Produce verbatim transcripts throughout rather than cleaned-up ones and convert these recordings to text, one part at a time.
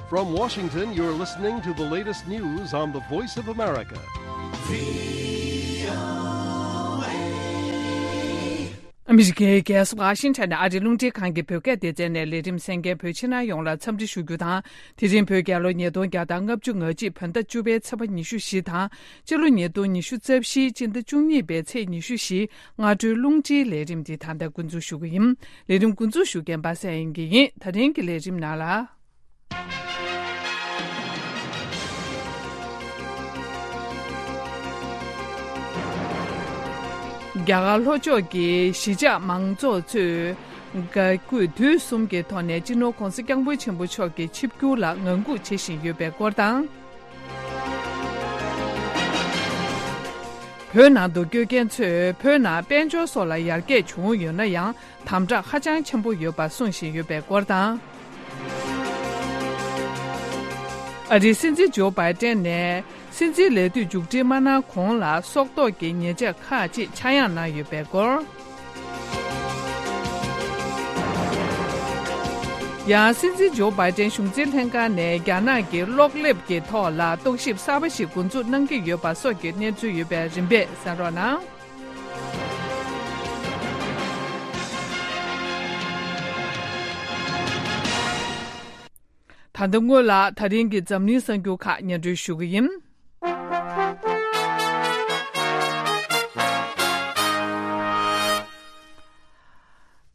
From Washington, you're listening to the latest news on the Voice of America. ཨ་མི་རི་ཀའི་རྒྱལ་ས་ཝ་ཤིང་ཊོན་ནས་ཨ་རིའི་རླུང་འཕྲིན་ཁང་གི་བོད་སྐད་སྡེ་ཚན་ནས་ལས་རིམ་གསན་མཁན་བོད་ཕྱི་ནང་ཡོངས་ལ་འཚམས་འདྲི་ཞུ་རྒྱུ་དང་། དེ་རིང་བོད་རྒྱལ་ལོ་ཉིས་སྟོང་བརྒྱ་དང་ལྔ་བཅུ་ང་གཅིག་བོད་ཟླ་བཅུ་པའི་ཚེས་པ་ཉི་ཤུ་བཞི་དང་། སྤྱི་ལོ་ཉིས་སྟོང་ཉི་ཤུ་རྩ་བཞིའི་སྤྱི་ཟླ་བཅུ་གཉིས་པའི་ཚེས་ཉི་ཤུ་བཞི། སྔ་དྲོའི་རླུང་འཕྲིན་ལས་རིམ་འདི་ད་ལྟ་འགོ་འཛུགས་ཞུ་གི་ཡིན། ལས་རིམ་འགོ་འཛུགས་ཞུ་མཁན་པ་སངས་དབྱངས་སྐྱིད་ཡིན། ད་རིང་གི་ལས་རིམ་ནང་ལ། རྒྱ་གར་ལྷོ་ཕྱོགས་ཀྱི་གཞིས་ཆགས་མང་ཚོགས་ཚོས་དགའ་གུས་དུས་གསུམ་གྱི་ཐོག་ནས་སྤྱི་ནོར་༸གོང་ས་༸སྐྱབས་མགོན་ཆེན་པོ་མཆོག་གི་ཆིབས་བསྒྱུར་ལ་ངང་སྒུག་བྱེད་བཞིན་ཡོད་པའི་སྐོར་དང་། བོད་ནང་དུ་བསྐྱོད་མཁན་ཚོས་བོད་ནང་དཔལ་འབྱོར་སོགས་ལ་ཡར་རྒྱས་བྱུང་ཡོད་ན་ཡང་། དམ་དྲག་ཧ་ཅང་ཆེན་པོ་ཡོད་པ་གསུང་བཞིན་ཡོད་པའི་སྐོར་དང་། ཨ་རིའི་སྲིད་འཛིན་ཇོ་བྷའི་ཏན་ནས་སྲིད་འཛིན་ལས་དུས་མཇུག་སྒྲིལ་མ་གནང་གོང་ལ་སྲོག་ཐོག་གི་ཉེས་ཆད་ཁག་ཅིག་ཆག་ཡང་གནང་ཡོད་པའི་སྐོར། ཡང་སྲིད་འཛིན་ཇོ་བྷའི་ཏན་གཞུང་འཛིན་ལྷན་ཁང་ནས་རྒྱ་ནག་གི་གློག་ལེབ་ཀྱི་ཐོག་ལ་རྟོག་ཞིབ་གསར་པ་ཞིག་འགོ་འཛུགས་གནང་གི་ཡོད་པ་སོགས་ཀྱི་གནས་ཚུལ་ཡོད་པའི་རིམ་པས་གསན་རོགས་གནང་། ད་ལྟ་སྔོན་ལ་ད་རིང་གི་འཛམ་གླིང་གསར་འགྱུར་ཁག་སྙན་སྒྲོན་ཞུ་གི་ཡིན།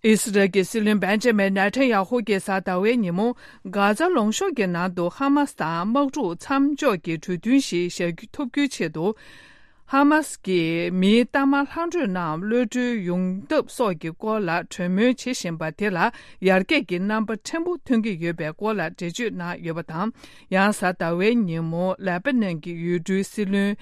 ཨི་སི་རལ་གྱི་སྲིད་བློན་བེན་ཇ་མིན་ནེ་ཐན་ཡ་ཧུ་གྱིས་གཟའ་ཟླ་བའི་ཉིན་མོ། གྷ་ཛ་ལུང་གཤོང་གི་ནང་དུ་ཧ་མ་སི་དང་དམག་འཁྲུག་མཚམས་འཇོག་གི་གྲོས་མཐུན་ཞིག་བཞག་ཐུབ་རྒྱུའི་ཆེད་དུ། ཧ་མ་སི་གིས་མིའི་གཏའ་མ་ལྷག་འཕྲོས་རྣམས་གློད་གྲོལ་ཡོང་ཐབས་སོགས་ཀྱི་སྐོར་ལ་གྲོས་མོལ་བྱེད་བཞིན་པ་དེ་ལ་ཡར་རྒྱས་ཀྱི་རྣམ་པ་ཕྲན་བུ་ཐོན་གྱི་ཡོད་པའི་སྐོར་ལ་འགྲེལ་བརྗོད་གནང་ཡོད་པ་དང་། ཡང་གཟའ་ཟླ་བའི་ཉིན་མོ་ལེ་པ་ནན་གྱི་ཡུལ་གྲུའི་སྲིད་བློན་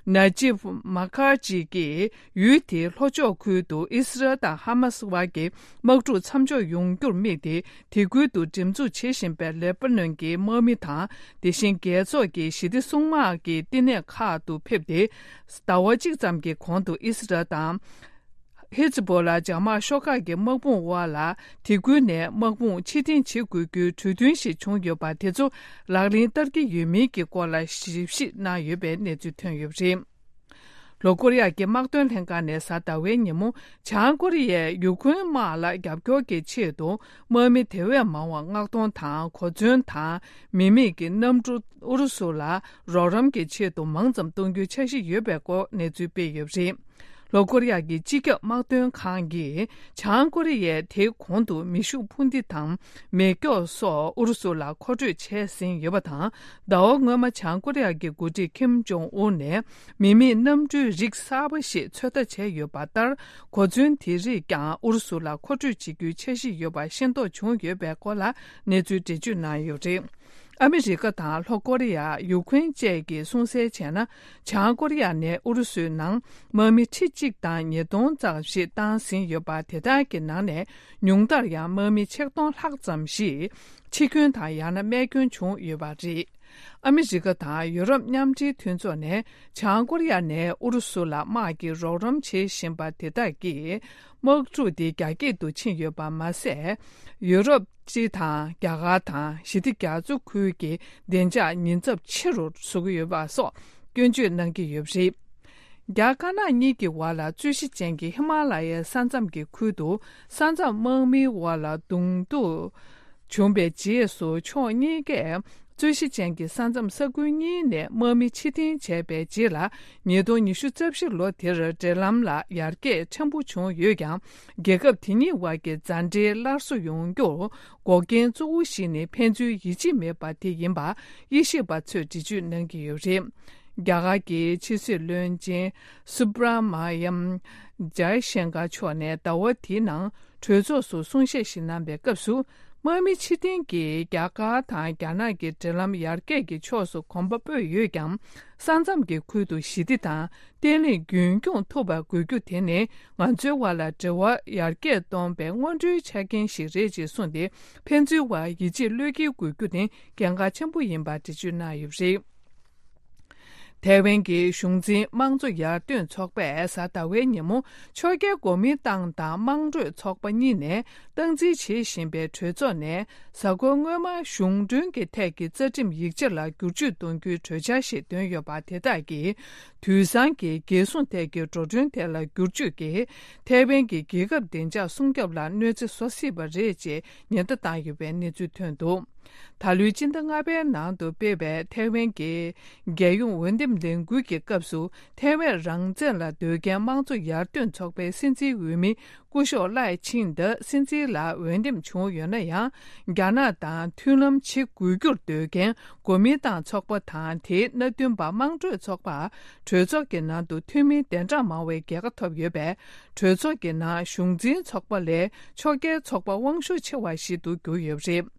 ན་ཇིབ་མ་ཁར་ཇི་གིས་ཡུལ་དེའི་ལྷོ་ཕྱོགས་ཁུལ་དུ་ཨི་སི་རལ་དང་ཧ་མ་སི་དབར་གྱི་དམག་འཁྲུག་མཚམས་འཇོག་ཡོང་རྒྱུར་དམིགས་ཏེ། དེ་ཁུལ་དུ་འགྲེམས་འཛུགས་བྱེད་བཞིན་པའི་ལེ་པ་ནོན་གྱི་དམག་མི་དང་། དེ་བཞིན་རྒྱལ་ཚོགས་ཀྱི་ཞི་བདེ་སྲུང་དམག་གི་བསྟི་གནས་ཁག་ཏུ་ཕེབས་ཏེ། ཟླ་བ་གཅིག་ཙམ་གྱི་གོང་དུ་ཨི་སི་རལ་དང་། ཧི་ཛི་བྷོ་ལ་འཇབ་དམག་ཤོག་ཁག་གི་དམག་དཔུང་དབར་ལ། དེ་ཁུལ་ནས་དམག་དཔུང་ཕྱིར་འཐེན་བྱེད་དགོས་རྒྱུའི་གྲོས་མཐུན་ཞིག་བྱུང་ཡོད་པ་དེ་ཚོ་ལག་ལེན་བསྟར་གྱི་ཡོད་མིན་གྱི་སྐོར་ལ་ཞིབ་བཤེར་གནང་ཡོད་པའི་གནས་ཚུལ་ཐོན་ཡོད་པ་རེད། ལྷོ་ཀོ་རི་ཡ་གི་དམག་དོན་ལྷན་ཁང་ནས་གཟའ་ཟླ་བའི་ཉིན་མོ། བྱང་ཀོ་རི་ཡས་ཡུ་ཁུན་དམག་ལ་རྒྱབ་སྐྱོར་གྱི་ཆེད་དུ། དམག་མི་དེ་བས་མང་བ་མངགས་གཏོང་དང་། གོ་མཚོན་དང་། མི་མེད་ཀྱི་གནམ་གྲུ་ཨུ་རུ་སུ་ལ་རོགས་རམ་གྱི་ཆེད་དུ་མང་ཙམ་གཏོང་རྒྱུའི་འཆར་གཞི་ཡོད་པའི་སྐོར་གནས་ཚུལ་སྤེལ་ཡོད་པ་རེད། ལྷོ་ཀོ་རི་ཡ་གི་སྤྱི་ཁྱབ་དམག་དོན་ཁང་གིས། བྱང་ཀོ་རི་ཡས་དེའི་གོང་དུ་མེ་ཤུགས་འཕུར་མདེལ་དང་། མེ་སྒྱོགས་སོགས་ཨུ་རུ་སུ་ལ་མཁོ་སྤྲོད་བྱས་ཟིན་ཡོད་པ་དང་། ཟླ་བ་སྔོན་མ་བྱང་ཀོ་རི་ཡ་གི་འགོ་ཁྲིད་ཁིམ་ཇོང་ཨུན་ནས། མི་མེད་གནམ་གྲུའི་རིགས་གསར་པ་ཞིག་ཚོད་ལྟ་བྱས་ཡོད་པ་ལྟར། གོ་མཚོན་དེ་རིགས་ཀྱང་ཨུ་རུ་སུ་ལ་མཁོ་སྤྲོད་བྱེད་རྒྱུའི་འཆར་གཞི་ཡོད་པ་ཤེས་རྟོགས་བྱུང་ཡོད་པའི་སྐོར་ལ་གནས་ཚུལ་འགྲེལ་བརྗོད་གནང་ཡོད་རེད། ཨ་མི་རི་ཀ་དང་ལྷོ་ཀོ་རི་ཡ། ཡུ་ཁུན་བཅས་ཀྱིས་གསུང་གསལ་བྱས་ན། བྱང་ཀོ་རི་ཡ་ནས་ཨུ་རུ་སུའི་ནང་དམག་མི་ཁྲི་གཅིག་དང་ཉིས་སྟོང་ཙམ་ཞིག་བཏང་ཟིན་ཡོད་པ། དེ་དག་གི་ནང་ནས་ཉུང་མཐར་ཡང་དམག་མི་ཆིག་སྟོང་ལྷག་ཙམ་ཞིག་འཆི་སྐྱོན་དང་ཡང་ན་རྨས་སྐྱོན་བྱུང་ཡོད་པ་རེད། ཨ་མི་རི་ཀ་དང་ཡུ་རོབ་མཉམ་འབྲེལ་མཐུན་ཚོགས་ནས་བྱང་ཀོ་རི་ཡ་ནས་ཨུ་རུ་སུ་ལ་དམག་གི་རོགས་རམ་བྱེད་བཞིན་པ་དེ་དག་གིས། དམག་འཁྲུག་དེ་རྒྱ་སྐྱེད་དུ་ཕྱིན་ཡོད་པ་མ་ཟད། ཡུ་རོབ་སྤྱི་དང་རྒྱ་གར་དང་ཞི་བདེ་རྒྱ་མཚོ་ཁུལ་གྱི་བདེ་འཇགས་ཉེན་ཚབས་ཆེ་རུ་བཟོ་གི་ཡོད་པ་སོགས་སྐྱོན་བརྗོད་གནང་གི་ཡོད་པ་རེད། རྒྱ་དཀར་ནག་གཉིས་ཀྱི་བར་ལ་རྩོད་གཞི་ཅན་གྱི་ཧི་མ་ལ་ཡའི་ས་མཚམས་ཀྱི་ཁུལ་དུ་ས་མཚམས་དམག་མིའི་དབར་ལ་གདོང་ཐུག་བྱུང་བའི་རྗེས་སུ། ཕྱོགས་གཉིས་ཀས་རྩོད་གཞི་ཅན་གྱི་ས་མཚམས་ས་ཁུལ་གཉིས་ནས་དམག་མི་ཕྱིར་འཐེན་བྱས་པའི་རྗེས་ལ། ཉིས་སྟོང་ཉི་ཤུ་རྩ་བཞི་ལོ་དེར་འབྲེལ་ལམ་ལ་ཡར་རྒྱས་ཕྲན་བུ་བྱུང་ཡོད་ཀྱང་། རྒྱལ་ཁབ་དེ་གཉིས་བར་གྱི་མཛའ་འབྲེལ་སླར་གསོ་ཡོང་རྒྱུར། འགོག་རྐྱེན་གཙོ་བོ་ཞིག་ནི་ཕན་ཚུན་ཡིད་ཆེས་མེད་པ་དེ་ཡིན་པ། དབྱེ་ཞིབ་པ་ཚོས་འགྲེལ་བརྗོད་གནང་གི་ཡོད་རེད། རྒྱ་གར་གྱི་ཕྱི་སྲིད་བློན་ཆེན་སུབ་ར་མ་ཡམ་ཇའི་ཤན་ཀར་མཆོག་ནས་ཟླ་བ་འདིའི་ནང་གྲོས་ཚོགས་སུ་གསུང་བཤད་ཞིག་གནང་པའི་སྐབས་སུ། དམག་མི་ཕྱིར་འཐེན་གྱིས་རྒྱ་གར་དང་རྒྱ་ནག་གི་འབྲེལ་ལམ་ཡར་རྒྱས་ཀྱི་ཕྱོགས་སུ་གོམ་པ་སྤོས་ཡོད་ཀྱང་། ས་མཚམས་ཀྱི་ཁུལ་དུ་ཞི་བདེ་དང་བརྟན་ལྷིང་རྒྱུན་འཁྱོངས་ཐུབ་པ་དགོས་རྒྱུ་དེ་ནི། ང་ཚོའི་དབར་ལ་འབྲེལ་བ་ཡར་རྒྱས་གཏོང་པའི་སྔོན་འགྲོའི་ཆ་རྐྱེན་ཞིག་རེད་ཅེས་གསུངས་ཏེ། ཕན་ཚུན་བར་ཡིད་ཆེས་བློས་འགེལ་དགོས་རྒྱུ་ནི་གལ་འགངས་ཆེན་པོ་ཡིན་པ་འགྲེལ་བརྗོད་གནང་ཡོད་པ་རེད། ཐའེ་ཝན་གྱི་གཞུང་འཛིན་དམངས་གཙོ་ཡར་ཐོན་ཚོགས་པས་གཟའ་ཟླ་བའི་ཉིན་མོ་ཕྱོགས་འགལ་གོ་མིན་ཏང་དང་དམངས་ཁྲོད་ཚོགས་པ་གཉིས་ནས་སྟངས་འཛིན་བྱེད་བཞིན་པའི་གྲོས་ཚོགས་ནས་གཟའ་འཁོར་སྔོན་མ་གཞུང་གྲོན་གྱི་ཐད་ཀྱི་རྩ་ཁྲིམས་ཡིག་ཆ་ལ་བསྒྱུར་བཅོས་གཏོང་རྒྱུའི་གྲོས་འཆར་ཞིག་བཏོན་ཡོད་པ་དེ་དག་གིས་དུས་སང་གི་རྒྱལ་སྲུང་ཐད་ཀྱི་འགྲོ་གྲོན་ཐད་ལ་བསྒྱུར་བཅོས་ཀྱིས་ཐའེ་ཝན་གྱི་རྒྱལ་ཁབ་བདེ་འཇགས་སྲུང་སྐྱོབ་ལ་གནོད་འཚེ་བཟོ་སྲིད་པ་རེད་ཅེས་ཉེན་བརྡ་བཏང་ཡོད་པའི་གནས་ཚུལ་ཐོན་འདུག་ད་ལོའི་སྤྱི་ཟླ་ལྔ་པའི་ནང་དུ་སྤེལ་བའི་ཐའེ་ཝན་གྱི་རྒྱལ་ཡོངས་འོས་འདེམས་ལས་འགུལ་གྱི་སྐབས་སུ་ཐའེ་ཝན་རང་བཙན་ལ་འདོད་མཁན་དམངས་གཙོ་ཡར་ཐོན་ཚོགས་པའི་སྲིད་འཛིན་འོས་མི་སྐུ་ཞབས་ལའེ་ཆིང་ཏེ་སྲིད་འཛིན་ལ་འོས་འདེམས་བྱུང་ཡོད་ན་ཡང་། རྒྱ་ནག་དང་མཐུན་ལམ་བྱེད་དགོས་རྒྱུར་འདོད་མཁན་གོ་མིན་ཏང་ཚོགས་པ་དང་དེའི་མནའ་མཐུན་པ་དམངས་ཁྲོད་ཚོགས་པར་གྲོས་ཚོགས་ཀྱི་ནང་དུ་འཐུས་མི་གདན་གྲངས་མང་བའི་རྒྱལ་ཁ་ཐོབ་ཡོད་པས། གྲོས་ཚོགས་ཀྱི་ནང་གཞུང་འཛིན་ཚོགས་པ་ལས་ཕྱོགས་འགལ་ཚོགས་པ་དབང་ཤུགས་ཆེ་བ་ཞིག་ཏུ་གྱུར་ཡོད་པ་རེད།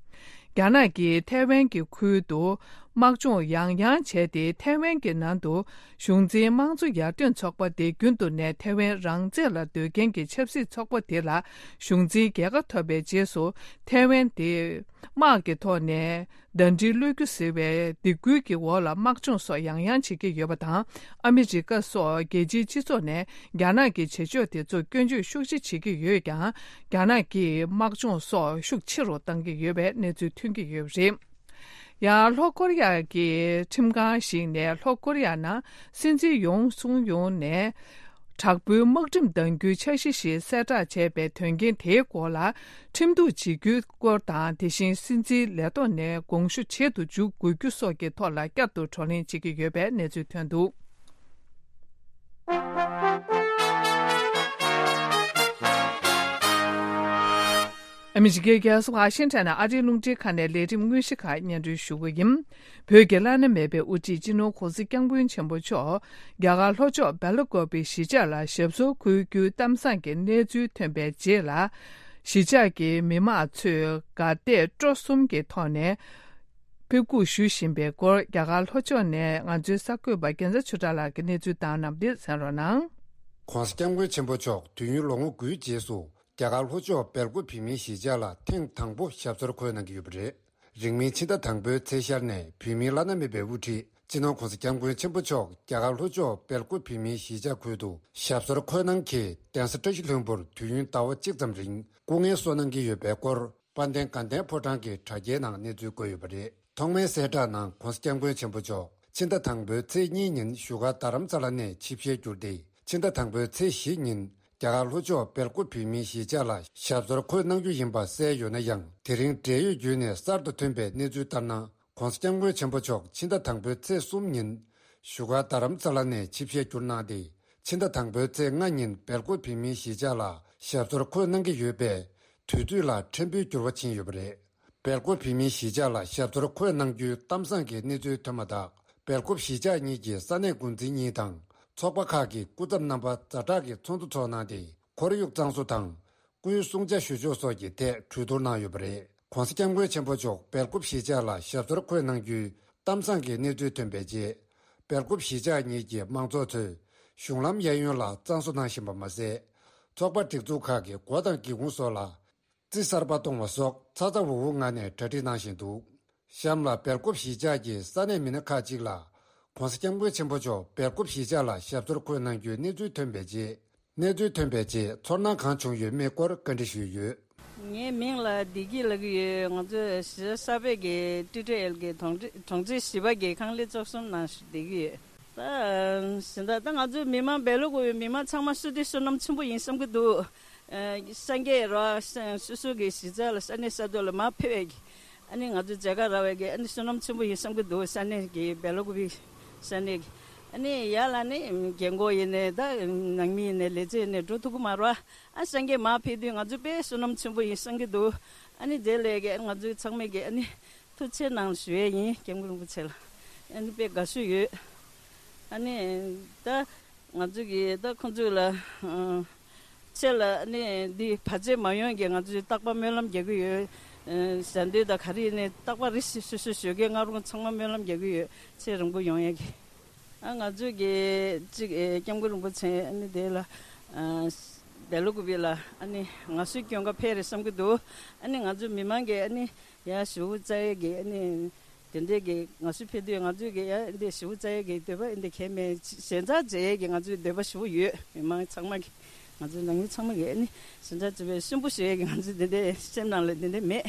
རྒྱ་ནག་གིས་ཐའེ་ཝན་གྱི་ཁུལ་དུ་དམག་སྦྱོང་ཡང་ཡང་བྱས་ཏེ། ཐའེ་ཝན་གྱི་ནང་དུ་གཞུང་འཛིན་དམངས་གཙོ་ཡར་ཐོན་ཚོགས་པ་དེ་རྒྱུན་དུ་ནས་ཐའེ་ཝན་རང་བཙན་ལ་འདོད་མཁན་གྱི་ཆབ་སྲིད་ཚོགས་པ་དེ་ལ་གཞུང་འཛིན་རྒྱལ་ཁ་ཐོབ་པའི་རྗེས་སུ། ཐའེ་ཝན་དེ་དམག་གི་ཐོག་ནས་ཟླ་སྒྲིལ་གློད་རྒྱུ་ཟེར་བའི་སྡིགས་སྐུལ་གྱི་འོག་ལ་དམག་སྦྱོང་སོགས་ཡང་ཡང་བྱེད་ཀྱི་ཡོད་པ་དང་། ཨ་མི་རི་ཀ་སོགས་རྒྱལ་སྤྱིའི་སྤྱི་ཚོགས་ནས་རྒྱ་ནག་གི་བྱེད་ཕྱོགས་དེ་ཚོར་སྐྱོན་བརྗོད་ཤུགས་ཆེ་བྱེད་ཀྱི་ཡོད་ཀྱང་། རྒྱ་ནག་གིས་དམག་སྦྱོང་སོགས་ཤུགས་ཆེ་རུ་བཏང་གི་ཡོད་པའི་གནས་ཚུལ་ཐོན་གྱི་ཡོད་པ་རེད། ཡང་ལྷོ་ཀོ་རི་ཡ་གི་ཁྲིམས་ཁང་ཞིག་ནས་ལྷོ་ཀོ་རི་ཡ་ནང་སྲིད་འཛིན་ཡོང་སུང་ཡོང་ནས་དྲག་པོའི་དམག་ཁྲིམས་གཏང་རྒྱུའི་འཆར་གཞི་ཞིག་གསལ་བསྒྲགས་བྱས་པའི་དོན་རྐྱེན་དེའི་སྐོར་ལ་ཁྲིམས་གཏུག་བྱེད་རྒྱུའི་སྐོར་དང་། དེ་བཞིན་སྲིད་འཛིན་ལས་ཐོག་ནས་དགོངས་ཞུ་བྱེད་དུ་འཇུག་དགོས་རྒྱུ་སོགས་ཀྱི་ཐོག་ལ་བསྐྱར་དུ་བགྲོ་གླེང་བྱེད་ཀྱི་ཡོད་པའི་གནས་ཚུལ་ཐོན་འདུག་ཨ་མི་རི་ཀའི་རྒྱལ་ས་ཝ་ཤིང་ཊོན་ནས་ཨ་རིའི་རླུང་འཕྲིན་ཁང་ནས་ལས་རིམ་དངོས་གཞི་ཁག་སྙན་སྒྲོན་ཞུ་གི་ཡིན། བོད་ཀྱི་བླ་ན་མེད་པའི་དབུ་ཁྲིད་སྤྱི་ནོར་༧གོང་ས་༧སྐྱབས་མགོན་ཆེན་པོ་མཆོག་རྒྱ་གར་ལྷོ་ཕྱོགས་སྦེལ་ཀོབ་པའི་གཞིས་ཆགས་ལ་ཞབས་སོར་འཁོད་རྒྱུའི་གཏམ་བཟང་གི་གནས་ཚུལ་ཐོན་པའི་རྗེས་ལ། གཞིས་ཆགས་ཀྱི་མི་མང་ཚོས་དགའ་དད་སྤྲོ་གསུམ་གྱི་ཐོག་ནས་ཕེབས་སྒུག་ཞུ་བཞིན་པའི་སྐོར། རྒྱ་གར་ལྷོ་ཕྱོགས་ནས་ང་ཚོའི་གསར་འགོད་པ་རྒྱལ་མཚན་ཆོས་གྲགས་ལགས་ཀྱིས་གནས་ཚུལ་བཏང་གནང་བ་དེ་གསན་རོགས་གནང་། ༧གོང་ས་༧སྐྱབས་མགོན་ཆེན་པོ་མཆོག་དུས་ཡུན་ལོ་ངོ་དགུའི་རྗེས་སུ་རྒྱ་གར་ལྷོ་ཕྱོགས་སྦེལ་ཀོབ་བོད་མིའི་གཞིས་ཆགས་ལ་ཐེངས་དང་པོ་ཞབས་སོར་འཁོད་གནང་གི་ཡོད་པ་རེད། རིང་མིན་ཕྱི་ཟླ་དང་པོའི་ཚེས་ཤར་ནས་བོད་མིའི་བླ་ན་མེད་པའི་དབུ་ཁྲིད་སྤྱི་ནོར་༧གོང་ས་༧སྐྱབས་མགོན་ཆེན་པོ་མཆོག་རྒྱ་གར་ལྷོ་ཕྱོགས་སྦེལ་ཀོབ་བོད་མིའི་གཞིས་ཆགས་ཁུལ་དུ་ཞབས་སོར་འཁོད་གནང་གིས་གདན་ས་བཀྲ་ཤིས་ལྷུན་པོར་དུས་ཡུན་ཟླ་བ་གཅིག་ཙམ་རིང་སྐུ་ངལ་གསོ་གནང་གི་ཡོད་པའི་སྐོར། དཔལ་ལྡན་དགའ་ལྡན་ཕོ་བྲང་གི་དྲ་རྒྱའི་ནང་གནས་ཚུལ་བཀོད་ཡོད་པ་རེད། ཐོག་མའི་གསལ་བསྒྲགས་ནང་༧གོང་ས་༧སྐྱབས་མགོན་ཆེན་པོ་མཆོག་ཕྱི་ཟླ་དང་པོའི་ཚེས་གཉིས་ཉིན་བཞུགས་སྒར་རྡ་རམ་ས་ལ་ནས་ཆིབས་ཞལ་བསྒྱུར་ཏེ། ཕྱི་ཟླ་དང་པོའི་ཚེས་བཞི་ཉིན་རྒྱ་གར་ལྷོ་ཕྱོགས་སྦེལ་ཀོབ་བོད་མིའི་གཞིས་ཆགས་ལ་ཞབས་སོར་འཁོད་གནང་རྒྱུ་ཡིན་པ་གསལ་ཡོད་ན་ཡང་། དེ་རིང་འབྲེལ་ཡོད་བརྒྱུད་ནས་གསར་དུ་ཐོན་པའི་གནས་ཚུལ་ལྟར་ན། ༧གོང་ས་༧སྐྱབས་མགོན་ཆེན་པོ་མཆོག་ཕྱི་ཟླ་དང་པོའི་ཚེས་གསུམ་ཉིན་བཞུགས་སྒར་རྡ་རམ་ས་ལ་ནས་ཆིབས་ཞལ་བསྒྱུར་གནང་སྟེ། ཕྱི་ཟླ་དང་པོའི་ཚེས་ལྔ་ཉིན་སྦེལ་ཀོབ་བོད་མིའི་གཞིས་ཆགས་ལ་ཞབས་སོར་འཁོད་གནང་གི་ཡོད་པས། དུས་ཚོད་ལ་ཕྲན་བུའི་འགྱུར་བ་ཕྱིན་ཡོད་པ་རེད། སྦེལ་ཀོབ་བོད་མིའི་གཞིས་ཆགས་ལ་ཞབས་སོར་འཁོད་གནང་རྒྱུའི་གཏམ་བཟང་གི་གནས་ཚུལ་ཐོན་མ་ཐག་སྦེལ་ཀོབ་གཞིས་ཆགས་གཉིས་ཀྱི་ས་གནས་འགོ་འཛིན་གཉིས་དང་ཚོགས་པ་ཁག་གི་སྐུ་ཚབ་རྣམ་པ་ཛ་དྲག་གི་ཚོགས་འདུ་འཚོགས་གནང་སྟེ། ཁོར་ཡུག་གཙང་བཟོ་དང་། སྐུའི་སྲུང་བྱ་ཞུ་ཕྱོགས་སོགས་ཀྱི་ཐད་གྲོས་བསྡུར་གནང་ཡོད་པ་རེད། ༧གོང་ས་༧སྐྱབས་མགོན་ཆེན་པོ་མཆོག་སྦེལ་ཀོབ་གཞིས་ཆགས་ལ་ཞབས་སོར་འཁོད་གནང་རྒྱུའི་གཏམ་བཟང་གི་གནས་ཚུལ་ཐོན་པའི་རྗེས། སྦེལ་ཀོབ་གཞིས་ཆགས་གཉིས་ཀྱི་མང་ཚོགས་ཚོས་གཞུང་ལམ་གཡས་གཡོན་ལ་གཙང་བཟོ་གནང་བཞིན་པ་མ་ཟད། ཚོགས་པ་སྒྲིག་འཛུགས་ཁག་གི་སྒོ་དང་སྒེའུ་ཁུང་སོགས་ལ་རྩི་གསར་པ་གཏོང་བ་སོགས་ཚ་ཚ་འུར་འུར་ངང་ནས་གྲ་སྒྲིག་གནང་བཞིན་འདུག་གཤམ་ལ་སྦེལ་ཀོབ་གཞིས་ཆགས་ཀྱི་ས་གནས་མི་སྣ་ཁག་ཅིག་ལ་༧གོང་ས་༧སྐྱབས་མགོན་ཆེན་པོ་མཆོག་སྦེལ་ཀོབ་གཞིས་ཆགས་ལ་ཞབས་སོར་འཁོད་གནང་རྒྱུའི་གནས་ཚུལ་ཐོན་པའི་རྗེས། གནས་ཚུལ་ཐོན་པའི་རྗེས་ཚོར་སྣང་གང་བྱུང་ཡོད་མེད་སྐོར་བཀའ་འདྲི་ཞུས་ཡོད། ངའི་མིང་ལ་བདེ་སྐྱིད་ལབ་ཀྱི་ཡོད། ང་ཚོ་གཞིས་ཆགས་གསར་པའི་གི་ཀྲི་ཀྲི་ཨེལ་གི་གྲོང་ཁྱེར་གྲོང་ཚོ་བཞི་པ་གི་ཁང་ལས་བཅུ་གསུམ་ནང་བསྡད་ཀྱི་ཡོད། ད་གཞན་དག་ད་ང་ཚོའི་མི་མང་སྦེལ་ཀོབ་གི་མི་མང་ཚང་མ་སུ་དེ་བསོད་ནམས་ཆེན་པོ་ཡིན་བསམ་གྱི་འདུག་ཨ་སངས་རྒྱས་ར་སོ་སོ་གི་གཞིས་ཆགས་ལ་ས་གནས་ས་ཐོག་ལ་མར་ཕེབས་པའི་གི་ཨ་ནི་ང་ཚོ་མཇལ་ཁ་རག་པའི་གི་ཨ་ནི་བསོད་ནམས་ཆེན་པོ་ཡིན་བསམ་གྱི་འདུག་ས་གནས་གི་སྦེལ་ཀོབ་གི་ས་གནས་གི་ཨ་ནི་ཡར་ལ་ནི་རྒན་གོག་ཡིན་ནའི་ད་ནང་མི་ཡིན་ནའི་ལས་བྱེད་ཡིན་ནའི་འགྲོ་ཐུབ་ཀྱི་མ་རེད། ཨ་སངས་རྒྱས་མར་ཕེབས་དུས་ང་ཚོ་དཔེ་བསོད་ནམས་ཆེན་པོ་ཡིན་བསམ་གྱི་འདུག་ཨ་ནི་དེ་ལས་ཀྱི་ང་ཚོའི་ཚང་མས་ཀྱི་ཨ་ནི་ཐུགས་རྗེ་གནང་ཞུ་ཡས་ཡིན། སྐྱབས་མགོན་རིན་པོ་ཆེ་ལ་ཨ་ནི་དཔེ་དགའ་བསུ་ཡོད། ཨ་ནི་ད་ང་ཚོ་གི་ད་ཁོང་ཚོ་ལ་ཨ་ཆེད་ལ་ཨ་ནི་འདི་བར་ཆད་མ་ཡོང་གི་ང་ཚོས་རྟག་པར་སྨོན་ལམ་རྒྱག་གི་ཡོད། ཨ་ཞལ་འདོན་དང་ག་རེ་ཡིན་ནའི་རྟག་པར་རེ་ཞིག་སོ་སོ་ཞོགས་ཀས་སྔ་དྲོ་ཚང་མ་སྨོན་ལམ་རྒྱག་གི་ཡོད། ཚེ་རིང་པོ་ཡོང་ཡས་ཀྱི། ཨ་ང་ཚོས་ཀྱི་གཅིག་ཨེ་སྐྱབས་མགོན་རིན་པོ་ཆེ་ཨ་ནི་དེ་ལ་ཨ་སྦེལ་ཀོབ་ལ་ཨ་ནི་ང་ཚོའི་སྐྱོན་ཁ་ཕེ་རེད་བསམ་གྱི་འདུག་ཨ་ནི་ང་ཚོ་མི་མང་གི་ཨ་ནི་ཡ་ཞུ་བོ་རྩ་ཡས་ཀྱི་ཨ་ནི་ དེ་འདྲའི་གི་ང་ཚོའི་ཕེབས་དུས་ང་ཚོའི་གི་ཡ་འདི་ཞིབ་པོ་བཙལ་ཡས་ཀྱི་འདོད་པ་འདི་གས་མེད། ཞལ་ལྕགས་མཇལ་ཡས་ཀྱི་ང་ཚོའི་འདོད་པ་ཞིབ་པོ་ཡོད། མི་མང་ཚང་མ་གི་ང་ཚོའི་ནང་མི་ཚང་མ་གི་ནི་ཞལ་ལྕགས་མཇལ་བའི་སུན་པོ་ཞུ་ཡས་ཀྱི་ང་ཚོའི་འདི་འདྲའི་སེམས་ནང་ལ་འདི་འདྲའི་མེད།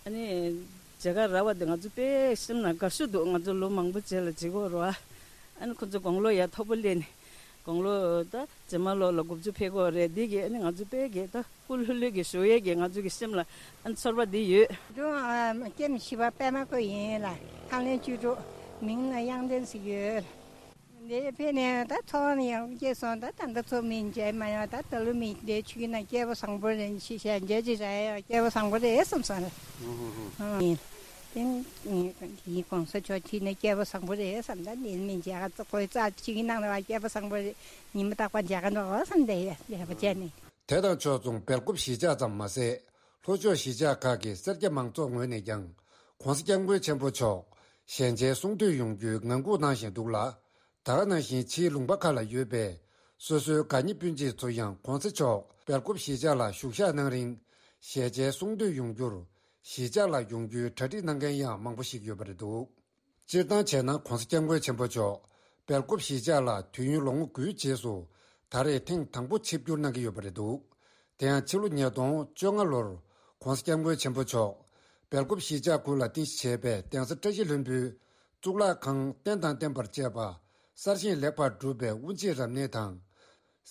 ཨ་ནི་མཇལ་ཁ་རག་པ་འདི་ང་ཚོ་དཔེ་སེམས་ནང་དགའ་ཤོས་འདུག། ང་ཚོ་ལོ་མང་པོ་རྗེས་ལ་མཇལ་གྱི་ཡོད་རེད་བ། ཨ་ནི་ཁོ་ཚོ་དགུང་ལོ་ཡ་མཐོ་པོ་སླེབས་ནས་དགུང་ལོ་ད་རྗེས་མ་ལོ་ལ་དགུ་བཅུ་ཕེབས་ཀྱི་ཡོད་རེད། འདི་གི་ཨ་ནི་ང་ཚོ་དཔེ་གི་ད་སྐུ་ལྷོད་ལྷོད་ཀྱི་བཞུགས་ཡས་ཀྱི་ང་ཚོ་གི་སེམས་ལ་ཨ་ནི་ཚོར་བ་འདི་ཡོད། འབྲུག་ཨ་ཀེམ་བཞི་པ་པད་མ་བཀོད་ཡིན་ལ། ཐང་ལྷན་བཅུ་དྲུག། མིང་ལ་དབྱངས་ལྡན་ཟེར་ཡོད། འདི་ཕེབས་ནས་ད་ཚོགས་ནས་ཡང་སྐྱེས་སོང་། ད་ད་ལྟ་ཚོགས་མི་མཇལ་མ་ཡོང་། ད་ད་ལོ་མི་འདི་ཆུ་ཡི་ནང་སྐྱེས་པ་བཟང་པོ་རེད་ཤི་ཤ་མཇལ་ཅི་ར་ཡ་སྐྱེས་པ་བཟང་པོ་རེད་བསམ་སོང་། ཨ་ནི་དེ་ཡིན་གོང་ས་མཆོག་ཁྲིད་ནས་སྐྱེས་པ་བཟང་པོ་རེད་བསམ། ད་འདི་མི་མཇལ་ཁ་ཙག་པོའི་རྩ་ཆུ་ཡི་ནང་ལ་བ་སྐྱེས་པ་བཟང་པོ་རེད། ཉི་མ་རྟག་པར་མཇལ་ཁ་འགྲོ་བསམ་བསྡད་ཡོད། ལས་པ་བྱས་ནས། དེ་དང་ཕྱོགས་མཚུངས་སྦེལ་ཀོབ་གཞིས་ཆགས་ཙམ་མ་ཟད། ལྷོ་ཕྱོགས་གཞིས་ཆགས་ཁག་གི་སེར་སྐྱ་མང་ཚོགས་ངོས་ནས་ཀྱང་། ༸གོང་ས་༸སྐྱབས་མགོན་ཆེན་པོ་མཆོག་ཞལ་མཇལ་གསུང་ཐོས་ཡོང་རྒྱུའི་ངང་སྒུག་གནང་བཞིན་འདུག་ལ། ད་ག་ནང་བཞིན་ཕྱིའི་ལུང་པ་ཁག་ལ་ཡོད་པའི་སོ་སོའི་དགའ་ཉེ་སྤུན་མཆེད་ཚོ་ཡང་༸གོང་ས་མཆོག་སྦེལ་ཀོབ་གཞིས་ཆགས་ལ་བཞུགས་ཞག་གནང་རིང་ཞལ་མཇལ་གསུང་ཐོས་ཡོང་རྒྱུར་གཞིས་ཆགས་ལ་ཡོང་རྒྱུའི་གྲ་སྒྲིག་གནང་མཁན་ཡང་མང་པོ་ཞིག་ཡོད་པ་རེད་འདུག། སྤྱིར་བཏང་བྱས་ན་༸གོང་ས་༸སྐྱབས་མགོན་ཆེན་པོ་མཆོག་སྦེལ་ཀོབ་གཞིས་ཆགས་ལ་དུས་ཡུན་ལོ་ངོ་དགུའི་རྗེས་སུ་ད་རེས་ཐེངས་དང་པོ་ཆིབས་བསྒྱུར་གནང་གི་ཡོད་པ་རེད་འདུག། དེ་ཡང་ཕྱི་ལོ་ཉིས་སྟོང་བཅོ་ལྔ་ལོར་༸གོང་ས་༸སྐྱབས་མགོན་ཆེན་པོ་མཆོག་སྦེལ་ཀོབ་གཞིས་ཆགས་ཁུལ་ལ་རྟེན་གཞི་བྱས་པའི་གདན་ས་བཀྲ་ཤིས་ལྷུན་པོའི་གཙུག་ལག་ཁང་རྟེན་དང་བརྟེན་པར་བཅས་པ་གསར་བཞེངས་ལེགས་པར་གྲུབ་པའི་དབུ་འབྱེད་རབ་གནས་དང་།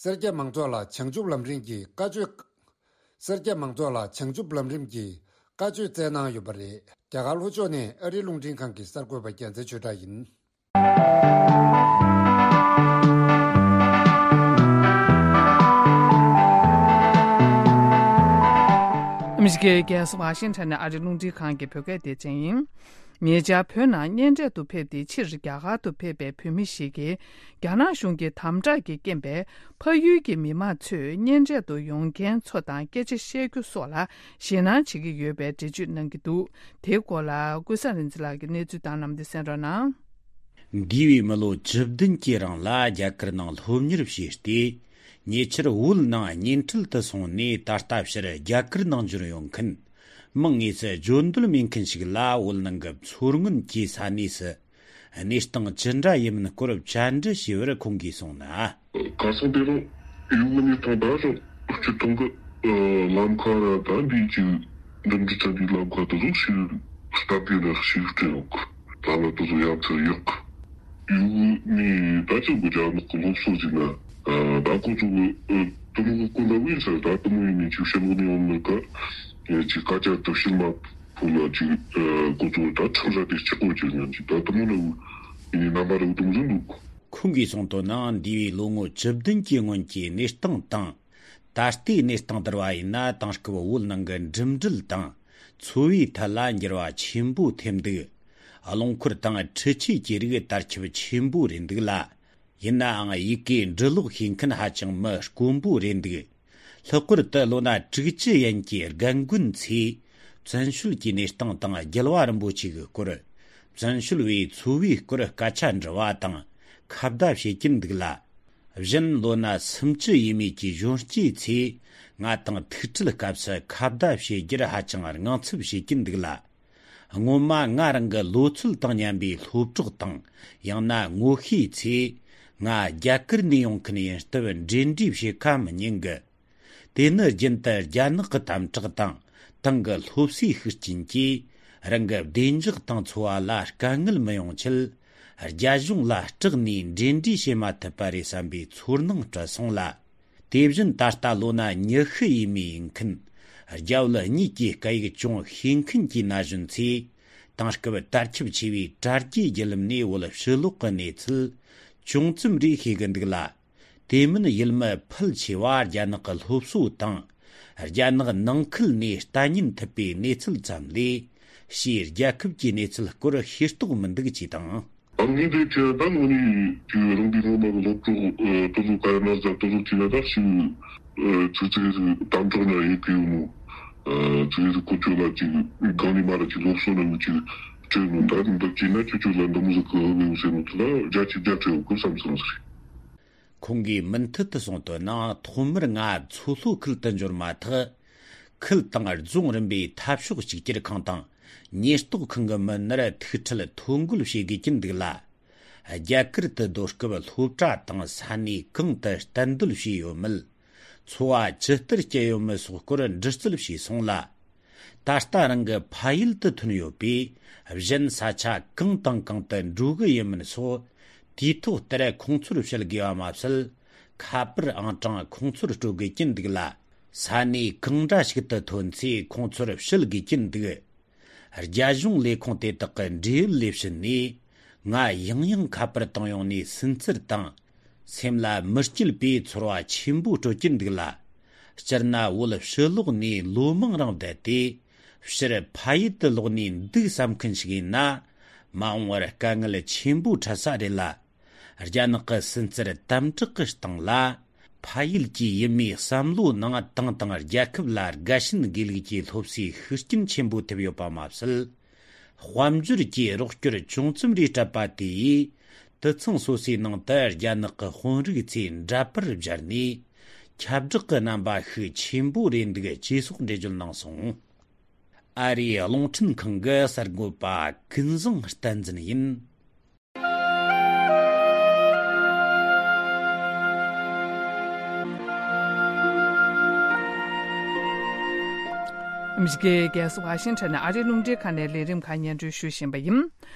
སེར་སྐྱ་མང་ཚོགས་ལ་བྱང་ཆུབ་ལམ་རིམ་གྱི་བཀའ་ཆོས། སེར་སྐྱ་མང་ཚོགས་ལ་བྱང་ཆུབ་ལམ་རིམ་གྱི་བཀའ་ཆོས་སྩལ་གནང་ཡོད་པ་རེད། རྒྱ་གར་ལྷོ་ཕྱོགས་ནས་ཨ་རིའི་རླུང་འཕྲིན་ཁང་གི་གསར་འགོད་པ་རྒྱལ་མཚན་ཆོས་གྲགས་ཡིན། ཨ་མི་རི་ཀའི་རྒྱལ་ས་ཝ་ཤིང་ཊོན་ནས་ཨ་རིའི་རླུང་འཕྲིན་ཁང་གི་བོད་སྐད་སྡེ་ཚན་ཡིན། ཉེ་ཆར་བོད་ནང་གཉེན་འཕྲད་དུ་ཕེབས་ཏེ་ཕྱིར་རྒྱ་གར་དུ་ཕེབས་པའི་བོད་མི་ཞིག་གིས། རྒྱ་ནག་གཞུང་གི་དམ་དྲག་གི་རྐྱེན་པས་ཕ་ཡུལ་གྱི་མི་མང་ཚོས་གཉེན་འཕྲད་དུ་ཡོང་མཁན་ཚོ་དང་སྐད་ཆ་བཤད་རྒྱུ་སོགས་ལ་ཞེད་སྣང་བྱེད་ཀྱི་ཡོད་པའི་འགྲེལ་བརྗོད་གནང་གི་འདུག། དེའི་སྐོར་ལ་ཀུན་བཟང་རིག་འཛིན་ལགས་ཀྱིས་གནས་ཚུལ་བཏང་གནང་བ་འདི་གསན་རོགས་གནང་། འདས་པའི་མི་ལོ་བཅུ་བདུན་གྱི་རིང་ལ་རྒྱ་གར་ནང་སློབ་གཉེར་བྱས་ཏེ། ཉེ་ཆར་བོད་ནང་གཉེན་འཕྲད་དུ་སོང་ནས་ད་ལྟ་ཕྱིར་རྒྱ་གར་ནང་འབྱོར་ཡོང་མཁན། མིང་དངོས་སུ་བརྗོད་འདོད་མེད་མཁན་ཞིག་ལ་བོད་ནང་གི་མཚོ་སྔོན་གྱི་ས་གནས་སུ་གནས་སྟངས་ཅི་འདྲ་ཡིན་མིན་སྐོར་བཅར་འདྲི་ཞུས་པར་ཁོང་གིས་གསུངས་ན། ཁ་སང་དེ་རིང་ཡུལ་གྱི་གནས་སྟངས་ད་ཞོག་སྤྱིར་བཏང་གི་ལམ་ཁ་ར་ད་འདི་ཅིག་འགྲིམ་འགྲུལ་བྱ་རྒྱུའི་ལམ་ཁ་དེ་ཚོ་ཞིག་སྟབས་བདེ་ནས་ཞིག་སྤྲད་ཡོད་གི། ད་ལ་དེ་ཚོ་ཡང་ཚུར་ཡོད་གི། ཡུལ་ནས་ད་ཅིག་གི་རྒྱ་ནག་གི་སློབ་གསོ་ཟེར་ན། ད་ཁོ་ཚོ་གི་དུ་མོ་གི་སྐུ་འདྲ་བོ་ཡིན་ས། ད་དུ་མོ་ཡིན་ནས་ཅིག་ཕྱིར་ལོག་ནས་ཡོང་མེད་ཀ། ཅིག་སྐད་ཆ་དུ་ཕྱིར་མ་ཕུ་ལ་ཅིག་ཁོ་ཚོ་ད་ཁྲིམས་ས་དེ་གཅིག་པོ་ཅིག་ཡང་ཅིག་ད་དུ་མོ་ལ་ཡིན་ནས་རྣམ་པ་རེ་བོ་དུ་མོ་ཟིན་འདུག། ཁོང་གིས་གསུངས་དོན་ནང་འདས་པའི་ལོ་ངོ་བཅུ་བདུན་གྱི་སྔོན་གྱི་གནས་སྟངས་དང་། ད་ལྟའི་གནས་སྟངས་བསྡུར་བ་ཡིན་ན་དེང་སྐབས་བོད་ནང་གི་འགྲིམ་འགྲུལ་དང་འཚོ་བའི་ཐད་ལ་འགྱུར་བ་ཆེན་པོ་ཐེབས་འདུག། རླངས་འཁོར་དང་འཕྲུལ་ཆས་ཀྱི་རིགས་དར་ཁྱབ་ཆེན་པོ་རེད་འདུག་ལ། ཡིན་ནའང་ཡི་གེ་འབྲི་ཀློག་ཤེས་མཁན་ཧ་ཅང་མི་དཀོན་པོ་རེད་འདུག། ལྷག་པར་དུ་ལོ་ན་དྲུག་ཅུ་ཡན་གྱི་རྒན་རྒོན་ཚོས་བཙན་བྱོལ་གྱི་གནས་སྟངས་དང་རྒྱལ་བ་རིན་པོ་ཆེ་གི་སྐོར། བཙན་བྱོལ་བའི་འཚོ་བའི་སྐོར་སྐད་ཆ་འདྲི་བ་དང་ཁ་བརྡ་བྱེད་ཀྱིན་འདུག་ལ། གཞན་ལོ་ན་སུམ་ཅུ་ཡས་མས་ཀྱི་གཞོན་སྐྱེས་ཚོས་ང་དང་ཐུག་འཕྲད་སྐབས་སུ་ཁ་བརྡ་བྱེད་རྒྱུར་ཧ་ཅང་དངངས་འཚབ་བྱེད་ཀྱིན་འདུག་ལ། སྔོན་མ་ང་རང་གི་ལོ་ཚོད་དང་མཉམ་པའི་སློབ་གྲོགས་དང་ཡང་ན་ངོ་ཤེས་ཚོས་ང་རྒྱ་གར་ནས་ཡོང་མཁན་ཡིན་སྟབས་འབྲེལ་འདྲིས་བྱེད་ཁ་མི་ཉན་གི། དེ་ནི་རྒྱུན་དུ་རྒྱ་ནག་གི་དམ་དྲག་དང་ཏང་གི་སློབ་གསོའི་ཤུགས་རྐྱེན་གྱིས་རང་གི་བདེ་འཇགས་དང་འཚོ་བ་ལ་དཀའ་ངལ་མི་ཡོང་ཆེད་རྒྱ་གཞུང་ལ་སྐྲག་ནས་འབྲེལ་འདྲིས་བྱེད་མ་ཐུབ་པ་རེད་བསམ་པའི་ཚོར་སྣང་སྤྲད་སོང་ལ། དེ་བཞིན་ད་ལྟ་ལོ་ན་ཉི་ཤུ་ཡས་མས་ཡིན་མཁན་རྒྱ་བོད་གཉིས་ཀྱི་སྐད་ཡིག་ཅུང་ཤེས་མཁན་གྱི་ན་གཞོན་ཚོས་དེང་སྐབས་དར་ཁྱབ་ཆེ་བའི་དྲ་རྒྱའི་བརྒྱུད་ལམ་ནས་བོད་ཕྱི་ལོགས་ཀྱི་གནས་ཚུལ་ཅུང་ཙམ་རེ་ཤེས་ཀྱི་འདུག་ལ། དེ་མིན་ཡུལ་མི་ཕལ་ཆེ་བ་རྒྱ་ནག་གི་སློབ་གསོ་དང་རྒྱ་ནག་ནང་ཁུལ་ནས་ལྟ་ཉན་ཐུབ་པའི་གནས་ཚུལ་ཙམ་ལས་ཕྱིའི་རྒྱལ་ཁབ་ཀྱི་གནས་ཚུལ་སྐོར་ཤེས་རྟོགས་མི་འདུག་ཅེས་དང་། ཨ་ངས་དེ་ཁྱེད་ད་ངོ་ནས་དེ་རང་གི་སྔོན་མ་གི་སློབ་གྲོགས་དེ་ཚོ་ག་ཡ་ན་ཟ་དེ་ཚོ་དེ་ན་ད་ཞིག་ཚིག་ཚིག་ཚིག་དམ་དྲག་ན་ཡོད་གི་ཡོད་ནོ། ཚིག་ཚིག་ཁོ་ཚོ་ལ་ཅིག་གང་ནས་མ་ར་ཅིག་སློབ་གསོ་ན་ཡོད་ཅིག་བྲལ་ནོ། ད་འདི་ཅིག་ན་ཁྱོད་ཚོ་ལ་འདི་མོ་ཟིག་གི་ཧ་གི་ཡོད་ཟེར་ནོ་དེ་ལ་རྒྱ་ཆེ་རྒྱ་ཆེ་ཡོད་གི་བསམ་སོང་ཟེར། ཁོང་གིས་མུ་མཐུད་དུ་གསུངས་དོན་ནང་ཐོག་མར་ང་མཚོ་ལྷོ་ཁུལ་དུ་འབྱོར་མ་ཐག་ཁུལ་དང་རྫོང་རིམ་པའི་འཐབ་ཕྱོགས་གཅིག་གྱུར་ཁང་དང་ ཉེན་རྟོག་ཁང་གི་མི་སྣར་ཐུག་འཕྲད་ཐོ་འགོད་བྱེད་དགོས་ཀྱིན་འདུག་ལ། རྒྱ་གར་དུ་སྡོད་སྐབས་སློབ་གྲྭ་དང་ས་གནས་གང་དུ་གཏན་སྡོད་བྱས་ཡོད་མེད། འཚོ་བ་ཇི་ལྟར་སྐྱེལ་ཡོད་མེད་སོགས་སྐོར་འདྲི་རྩད་བྱས་སོང་ལ། ད་ལྟ་རང་གི་ཕ་ཡུལ་དུ་ཐོན་ཡོད་པས། གཞན་ས་ཆ་གང་དང་གང་དུ་འགྲོ་གི་ཡིན་མིན་སོགས་དུས་ཐོག་ལྟར་ཁོང་ཚོར་བཤད་དགོས་པ་མ་ཟད། ཁ་པར་ཨང་གྲངས་ཁོང་ཚོར་སྤྲོད་དགོས་ཀྱིན་འདུག་ལ། ས་གནས་གང་འདྲ་ཞིག་ཏུ་ཐོན་ཚེ་ཁོང་ཚོར་བཤད་དགོས་ཀྱིན་འདུག་རྒྱ་གཞུང་ལས་ཁུངས་དེ་དག་གི་འབྲེལ་ཡོད་ལས་བྱེད་ནས། ང་ཡང་ཡང་ཁ་པར་བཏང་ཡོང་ནས་སུན་གཙེར་དང་། སེམས་ལ་མི་སྐྱིད་པའི་ཚོར་བ་ཆེན་པོ་སྤྲོད་ཀྱིན་འདུག་ལ། སྤྱིར་ན་བོད་ཕྱི་ལོགས་ནས་ལོ་མང་རིང་བསྡད་དེ། སྤྱིར་ཕ་ཡུལ་དུ་ལོག་ནས་འདུག་བསམ་མཁན་ཞིག་ཡིན་ན། མ་འོངས་པར་དཀའ་ངལ་ཆེན་པོ་འཕྲད་ས་རེད་ལ། རྒྱ་ནག་གི་སུན་གཙེར་དམ་དྲག་གི་སྟེང་ལ། ཕ་ཡུལ་གྱི་ཡུལ་མིའི་བསམ་བློའི་ནང་ཏང་དང་རྒྱལ་ཁབ་ལ་དགའ་ཞེན་དགེ་ལུགས་ཀྱི་སློབ་གསོའི་ཤུགས་རྐྱེན་ཆེན་པོ་ཐེབས་ཡོད་པ་མ་ཟད། དཔལ་འབྱོར་གྱི་རོགས་སྐྱོར་ཅུང་ཙམ་རེ་སྤྲད་པ་དེ་ཡིས། དུད་ཚང་སོ་སོའི་ནང་དུ་རྒྱ་ནག་གི་དཔོན་རིགས་ཚོའི་འདྲ་པར་སྦྱར་ནས། ཁྱབ་བསྒྲགས་ཀྱི་རྣམ་པ་ཤུགས་ཆེན་པོ་རེད་འདུག་ཅེས་སོགས་འགྲེལ་བརྗོད་གནང་སོང་། ཨ་རིའི་རླུང་འཕྲིན་ཁང་གི་གསར་འགོད་པ་ཀུན་བཟང་བསྟན་འཛིན་ཡིན། ཨ་མི་རི་ཀའི་རྒྱལ་ས་ཝ་ཤིང་ཊོན་ནས་ཨ་རིའི་རླུང་འཕྲིན་ཁང་ནས་ལས་རིམ་ཁག་སྙན་སྒྲོན་ཞུ་བཞིན་པ་ཡིན།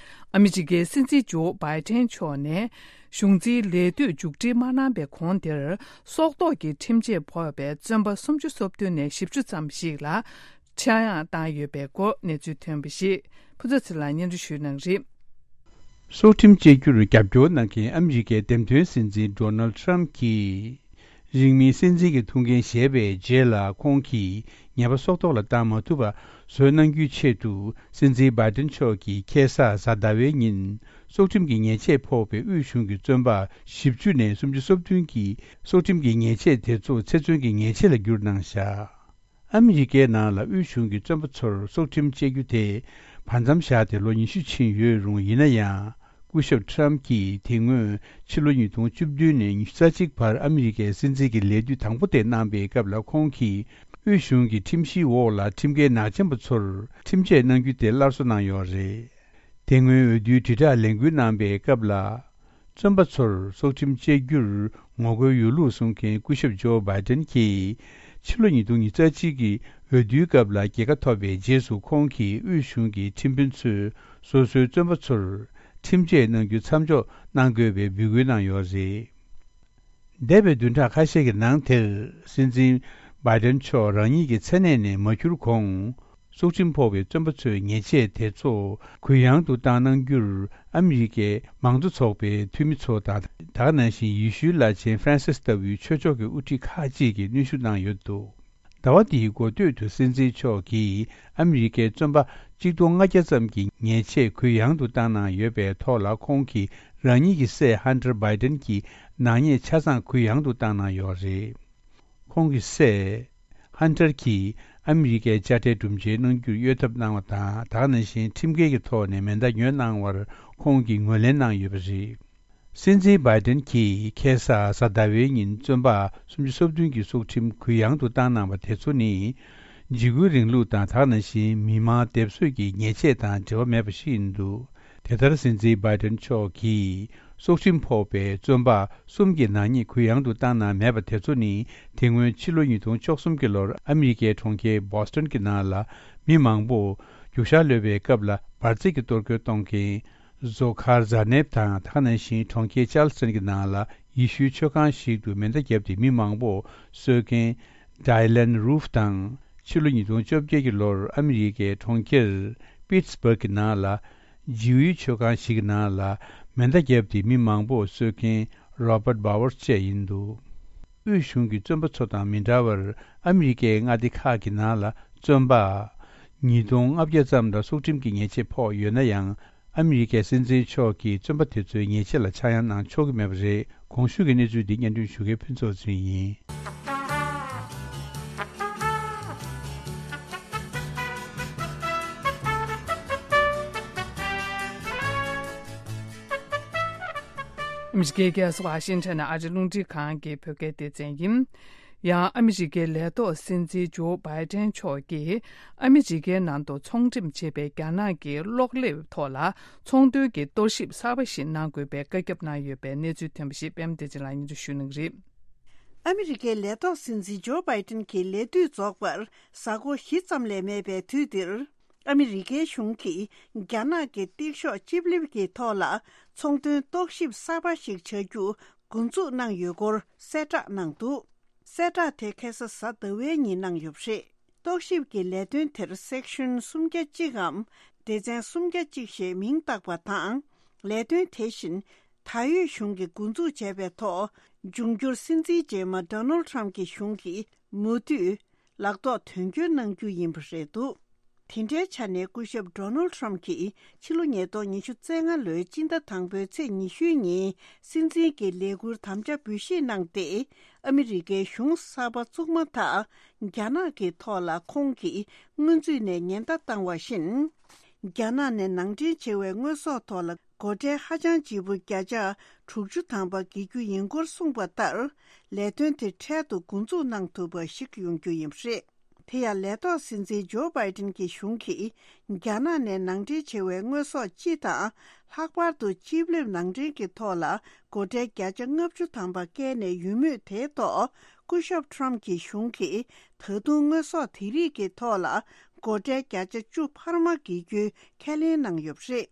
ཨ་མི་རི་ཀའི་སྲིད་འཛིན་ཇོ་བྷའི་ཏན་མཆོག་ནས་གཞུང་འཛིན་ལས་དུས་མཇུག་སྒྲིལ་མ་གནང་པའི་གོང་དེར་སྲོག་ཐོག་གི་ཁྲིམས་ཆད་ཕོག་པའི་བཙོན་པ་སུམ་ཅུ་སོ་བདུན་ནས་བཞི་བཅུ་ཙམ་ཞིག་ལ། ཆག་ཡང་བཏང་ཡོད་པའི་སྐོར་གནས་ཚུལ་ཐོན་པ་ཞིག་ཕུན་ཚོགས་ཚེ་རིང་ལགས་སྙན་སྒྲོན་ཞུ་གནང་གི་རེད། སྲོག་ཁྲིམས་གཅད་རྒྱུར་རྒྱབ་སྐྱོར་གནང་མཁན་ཨ་མི་རི་ཀའི་འདེམས་ཐོན་སྲིད་འཛིན་ཌོ་ནལ་ཌི་ཊརམ་ཕ་གྱིས། རིང་མིན་སྲིད་འཛིན་གྱི་ཐུགས་འགན་བཞེས་པའི་རྗེས་ལ་ཁོང་གིས་ཉེས་པ་སྲོག་ཐོག་ལ་བཏང་མ་ཐུབ་པ་བཟོ་གནང་རྒྱུའི་ཆེད་དུ་སྲིད་འཛིན་བྷའི་ཏན་མཆོག་གིས་ཁ་སང་གཟའ་ཟླ་བའི་ཉིན་སྲོག་ཁྲིམས་ཀྱི་ཉེས་ཆད་ཕོག་པའི་དབུས་གཞུང་གི་བཙོན་པ་བཞི་བཅུ་ནས་སུམ་ཅུ་སོ་བདུན་གྱི་སྲོག་ཁྲིམས་ཀྱི་ཉེས་ཆད་དེ་ཚོ་ཚེ་བཙོན་གྱི་ཉེས་ཆད་ལ་བསྒྱུར་གནང་བཞག་ཨ་མི་རི་ཀའི་ནང་ལ་དབུས་གཞུང་གི་བཙོན་པ་ཚོར་སྲོག་ཁྲིམས་གཅད་རྒྱུ་དེ་བར་མཚམས་བཞག་སྟེ་ལོ་ཉི་ཤུ་ཕྱིན་ཡོད་རུང་། ཡིན་ན་ཡང་། སྐུ་ཞབས་ཊརམ་གྱིས་དེ་སྔོན་ཕྱི་ལོ་ཉིས་སྟོང་བཅུ་བདུན་ནས་ཉི་ཤུ་རྩ་གཅིག་བར་ཨ་མི་རི་ཀའི་སྲིད་འཛིན་གྱི་ལས་དུས་དང་པོ་དེ་གནང་པའི་སྐབས་ལ། ཁོང་གིས་དབུས་གཞུང་གི་ཁྲིམས་གཞིའི་འོག་ལ་ཁྲིམས་འགལ་ནག་ཅན་པ་ཚོར་ཁྲིམས་ཆད་གནང་རྒྱུ་དེ་སླར་གསོ་གནང་ཡོད་རེད། དེ་སྔོན་འོས་བསྡུའི་དྲིལ་བསྒྲགས་ལས་འགུལ་གནང་པའི་སྐབས་ལ། བཙོན་པ་ཚོར་སྲོག་ཁྲིམས་གཅད་རྒྱུར་ངོ་རྒོལ་ཡོད་ལུགས་གསུང་མཁན་སྐུ་ཞབས་ཇོ་བྷའི་ཏན་གྱིས་ཕྱི་ལོ་ཉིས་སྟོང་ཉི་ཤུ་རྩ་གཅིག་གི་འོས་བསྡུའི་སྐབས་ལ་རྒྱལ་ཁ་ཐོབ་པའི་རྗེས་སུ། ཁོང་གིས་དབུས་གཞུང་གི་ཁྲིམས་དཔོན་ཚོས་སོ་སོའི་བཙོན་པ་ཚོར་ཁྲིམས་ཆད་གནང་རྒྱུ་མཚམས་འཇོག་གནང་དགོས་པའི་འབོད་སྐུལ་གནང་ཡོད་རེད། འདས་པའི་བདུན་ཕྲག་ཁ་ཤས་ཀྱི་ནང་དེར། སྲིད་འཛིན་བྷའི་ཏན་མཆོག་རང་ཉིད་ཀྱི་མཚན་གནས་ནས་མ་འཁྱུར་གོང་། སྲོག་ཁྲིམས་ཕོག་པའི་བཙོན་པ་ཚོའི་ཉེས་ཆད་དེ་ཚོ་གུ་ཡངས་དུ་བཏང་གནང་རྒྱུར། ཨ་མི་རི་ཀའི་མང་གཙོ་ཚོགས་པའི་འཐུས་མི་ཚོ་དང་། ད་ག་ནང་བཞིན་ཡེ་ཤུའི་བླ་ཆེན་ཧྥ་རན་སིས་ལྟ་བུའི་ཆོས་ཕྱོགས་ཀྱི་དབུ་ཁྲིད་ཁག་ཅིག་གིས་གནོན་ཤུགས་གནང་ཡོད་འདུག་ཟླ་བ་འདིའི་འགོ་སྟོད་དུ་སྲིད་འཛིན་མཆོག་གིས་ཨ་མི་རི་ཀའི་བཙོན་པ་གཅིག་སྟོང་ལྔ་བརྒྱ་ཙམ་གྱི་ཉེས་ཆད་གུ་ཡངས་དུ་བཏང་གནང་ཡོད་པའི་ཐོག་ལ། ཁོང་གིས་རང་ཉིད་ཀྱི་སྲས་ཧན་ཊར་བྷའི་ཏན་གྱི་ནག་ཉེས་ཆ་ཚང་གུ་ཡངས་དུ་བཏང་གནང་ཡོད་རེད། ཁོང་གི་སྲས་ཧན་ཊར་གྱིས་ཨ་མི་རི་ཀའི་དཔྱ་ཁྲལ་སྒྲུབ་འཇལ་གནང་རྒྱུར་གཡོལ་ཐབས་གནང་བ་དང་། ད་ག་ནང་བཞིན་ཁྲིམས་འགལ་གྱི་ཐོག་ནས་མེ་མདའ་ཉོས་གནང་བར་ཁོང་གིས་ངོས་ལེན་གནང་ཡོད་པ་རེད། སྲིད་འཛིན་བྷའི་ཏན་གྱིས་ཁ་སང་གཟའ་ཟླ་བའི་ཉིན་བཙོན་པ་སུམ་ཅུ་སོ་བདུན་གྱི་སྲོག་ཁྲིམས་གུ་ཡངས་དུ་བཏང་གནང་བ་དེ་ཚོ་ནི། འཇིགས་སྐུལ་རིང་ལུགས་དང་། ད་ག་ནང་བཞིན་མི་མང་སྡེབ་གསོད་ཀྱི་ཉེས་ཆད་དང་འབྲེལ་བ་མེད་པ་ཞིག་ཡིན་འདུག་དེ་ལྟར་སྲིད་འཛིན་བྷའི་ཏན་མཆོག་གིས་སྲོག་ཁྲིམས་ཕོག་པའི་བཙོན་པ་གསུམ་གྱི་ནག་ཉེས་གུ་ཡངས་དུ་བཏང་གནང་མེད་པ་དེ་ཚོ་ནི། དེ་སྔོན་ཕྱི་ལོ་ཉིས་སྟོང་བཅུ་གསུམ་གྱི་ལོར་ཨ་མི་རི་ཀའི་གྲོང་ཁྱེར་བྷོ་སི་ཊོན་གྱི་ནང་ལ་མི་མང་པོ་རྒྱུག་ཤར་གློད་པའི་སྐབས་ལ་འབར་རྫས་ཀྱི་གཏོར་རྒོལ་གཏོང་མཁན་ཛོ་ཁར་ཛར་ནེབ་དང་། ད་ག་ནང་བཞིན་གྲོང་ཁྱེར་ཅཱརལ་སི་ཊོན་གྱི་ནང་ལ་ཡེ་ཤུའི་མཆོད་ཁང་ཞིག་ཏུ་མེ་མདའ་བརྒྱབ་སྟེ་མི་མང་པོ་གསོད་མཁན་ཌའི་ལན་རུབ་དང་། ཕྱི་ལོ་ཉིས་སྟོང་བཅོ་བརྒྱད་ཀྱི་ལོར་ཨ་མི་རི་ཀའི་གྲོང་ཁྱེར་པིཊ་སི་བྷག་གི་ནང་ལ་ཇིའུའི་མཆོད་ཁང་ཞིག་གི་ནང་ལ་མེ་མདའ་བརྒྱབ་སྟེ་མི་མང་པོ་གསོད་མཁན་རོ་བརྟ་བྷའོ་ཝར་བཅས་ཡིན་འདུག་དབུས་གཞུང་གི་བཙོན་པ་ཚོ་དང་མི་འདྲ་བར། ཨ་མི་རི་ཀའི་མངའ་སྡེ་ཁག་གི་ནང་ལ་བཙོན་པ་ཉིས་སྟོང་ལྔ་བརྒྱ་ཙམ་ལ་སྲོག་ཁྲིམས་ཀྱི་ཉེས་ཆད་ཕོག་ཡོད་ན་ཡང་། ཨ་མི་རི་ཀའི་སྲིད་འཛིན་མཆོག་གིས་བཙོན་པ་དེ་ཚོའི་ཉེས་ཆད་ལ་ཆག་ཡང་གནང་ཆོག་གི་མེད་པ་རེད། གོང་ཞུས་ཀྱི་གནས་ཚུལ་འདི་སྙན་སྒྲོན་ཞུ་མཁན་ཕུན་ཚོགས་ཚེ་རིང་ཡིན། ཨ་མི་རི་ཀའི་རྒྱལ་ས་ཝ་ཤིང་ཊོན་ནས་ཨ་རིའི་རླུང་འཕྲིན་ཁང་གི་བོད་སྐད་སྡེ་ཚན་ཡིན། ཡང་ཨ་མི་རི་ཀའི་ལས་ཐོག་སྲིད་འཛིན་ཇོ་བྷའི་ཏན་མཆོག་གིས་ཨ་མི་རི་ཀའི་ནང་དུ་ཚོང་འགྲེམས་བྱེད་པའི་རྒྱ་ནག་གི་གློག་ཀླད་ཐོག་ལ་ཚོང་དོན་གྱི་རྟོག་ཞིབ་གསར་པ་ཞིག་གནང་དགོས་པའི་བཀའ་ཁྱབ་གནང་ཡོད་པའི་གནས་ཚུལ་ཐོན་པ་ཞིག་པད་མ་བདེ་ཆེན་ལགས་སྙན་སྒྲོན་ཞུ་གནང་གི་རེད། ཨ་མི་རི་ཀའི་ལས་ཐོག་སྲིད་འཛིན་ཇོ་བྷའི་ཏན་གྱི་ལས་དུས་རྫོགས་པར་གཟའ་འཁོར་བཞི་ཙམ་ལས་མེད་པའི་དུས་འདིར། ཨ་མི་རི་ཀའི་གཞུང་གིས་རྒྱ་ནག་གི་ཏིག་ཤོག་ཅིབ་ལིབ་ཀྱི་ཐོག་ལ་ཚོང་དོན་རྟོག་ཞིབ་གསར་པ་ཞིག་བྱ་རྒྱུ་འགོ་འཛུགས་གནང་ཡོད་སྐོར་གསལ་བསྒྲགས་གནང་འདུག་གསལ་བསྒྲགས་དེ་ཁ་སང་གཟའ་ཟླ་བའི་ཉིན་གནང་ཡོད་པ་རེད། རྟོག་ཞིབ་ཀྱི་ལས་དོན་དེར་སེག་ཤན་སུམ་བརྒྱ་གཅིག་འམ་སྡེ་ཚན་སུམ་བརྒྱ་གཅིག་ཞེས་མིང་བཏགས་པ་དང་། ལས་དོན་དེ་བཞིན་ད་ཡོད་གཞུང་གིས་འགོ་འཛུགས་བྱས་པའི་ཐོག་འབྱུང་འགྱུར་སྲིད་འཛིན་རྗེས་མ་ཌོ་ནལ་ཊམ་གྱི་གཞུང་གིས་མུ་མཐུད་ལག་ཐོགས་དོན་འཁྱོལ་གནང་རྒྱུ་ཡིན་པ་རེད་འདུག་དེ་འདྲའི་ཆ་ནས་སྐུ་ཞབས་ཌོ་ནལ་ཊམ་གྱིས་ཕྱི་ལོ་ཉིས་སྟོང་ཉི་ཤུ་རྩ་ལྔ་ལོའི་སྤྱི་ཟླ་དང་པོའི་ཚེས་ཉི་ཤུའི་ཉིན་སྲིད་འཛིན་གྱི་ལས་འཁུར་དམ་བཅའ་འབུལ་བཞེས་གནང་སྟེ། ཨ་མི་རི་ཀའི་གཞུང་གསར་པ་བཙུགས་མ་ཐག་རྒྱ་ནག་གི་ཐོག་ལ་ཁོང་གིས་སྔོན་ཚུད་ནས་ཉེན་བརྡ་བཏང་བ་བཞིན། རྒྱ་ནག་ནས་ནང་འདྲེན་བྱེད་པའི་དངོས་ཟོག་ཐོག་ལ་སྒོ་ཁྲལ་ཧ་ཅང་ལྗིད་པོ་བརྒྱ་ཆ་དྲུག་ཅུ་ཐམ་པ་འགེལ་རྒྱུ་ཡིན་སྐོར་གསུངས་པ་ལྟར། ལས་དོན་དེ་འཕྲལ་དུ་འགོ་འཛུགས་གནང་ཐུབ་པ་ཞིག་ཡོང་རྒྱུ་ཡིན་པ་རེད། དེ་ཡང་ལས་ཐོག་སྲིད་འཛིན་ཇོ་བྷའི་ཏན་གྱི་གཞུང་གིས་རྒྱ་ནག་ནས་ནང་འདྲེན་བྱེད་པའི་དངོས་ཟོག་སྤྱི་དང་། ལྷག་པར་དུ་ཅིབ་ལིབ་ནང་འདྲེན་གྱི་ཐོག་ལ་སྒོ་ཁྲལ་བརྒྱ་ཆ་ལྔ་བཅུ་ཐམ་པ་བཀལ་ནས་ཡོད་མུས་དེའི་ཐོག་སྐུ་ཞབས་ཊམ་གྱི་གཞུང་གིས་ད་དུང་དངོས་ཟོག་དེ་རིགས་ཀྱི་ཐོག་ལ་སྒོ་ཁྲལ་བརྒྱ་ཆ་བཅུ་འཕར་མ་འགེལ་རྒྱུའི་ཁས་ལེན་གནང་ཡོད་པ་རེད།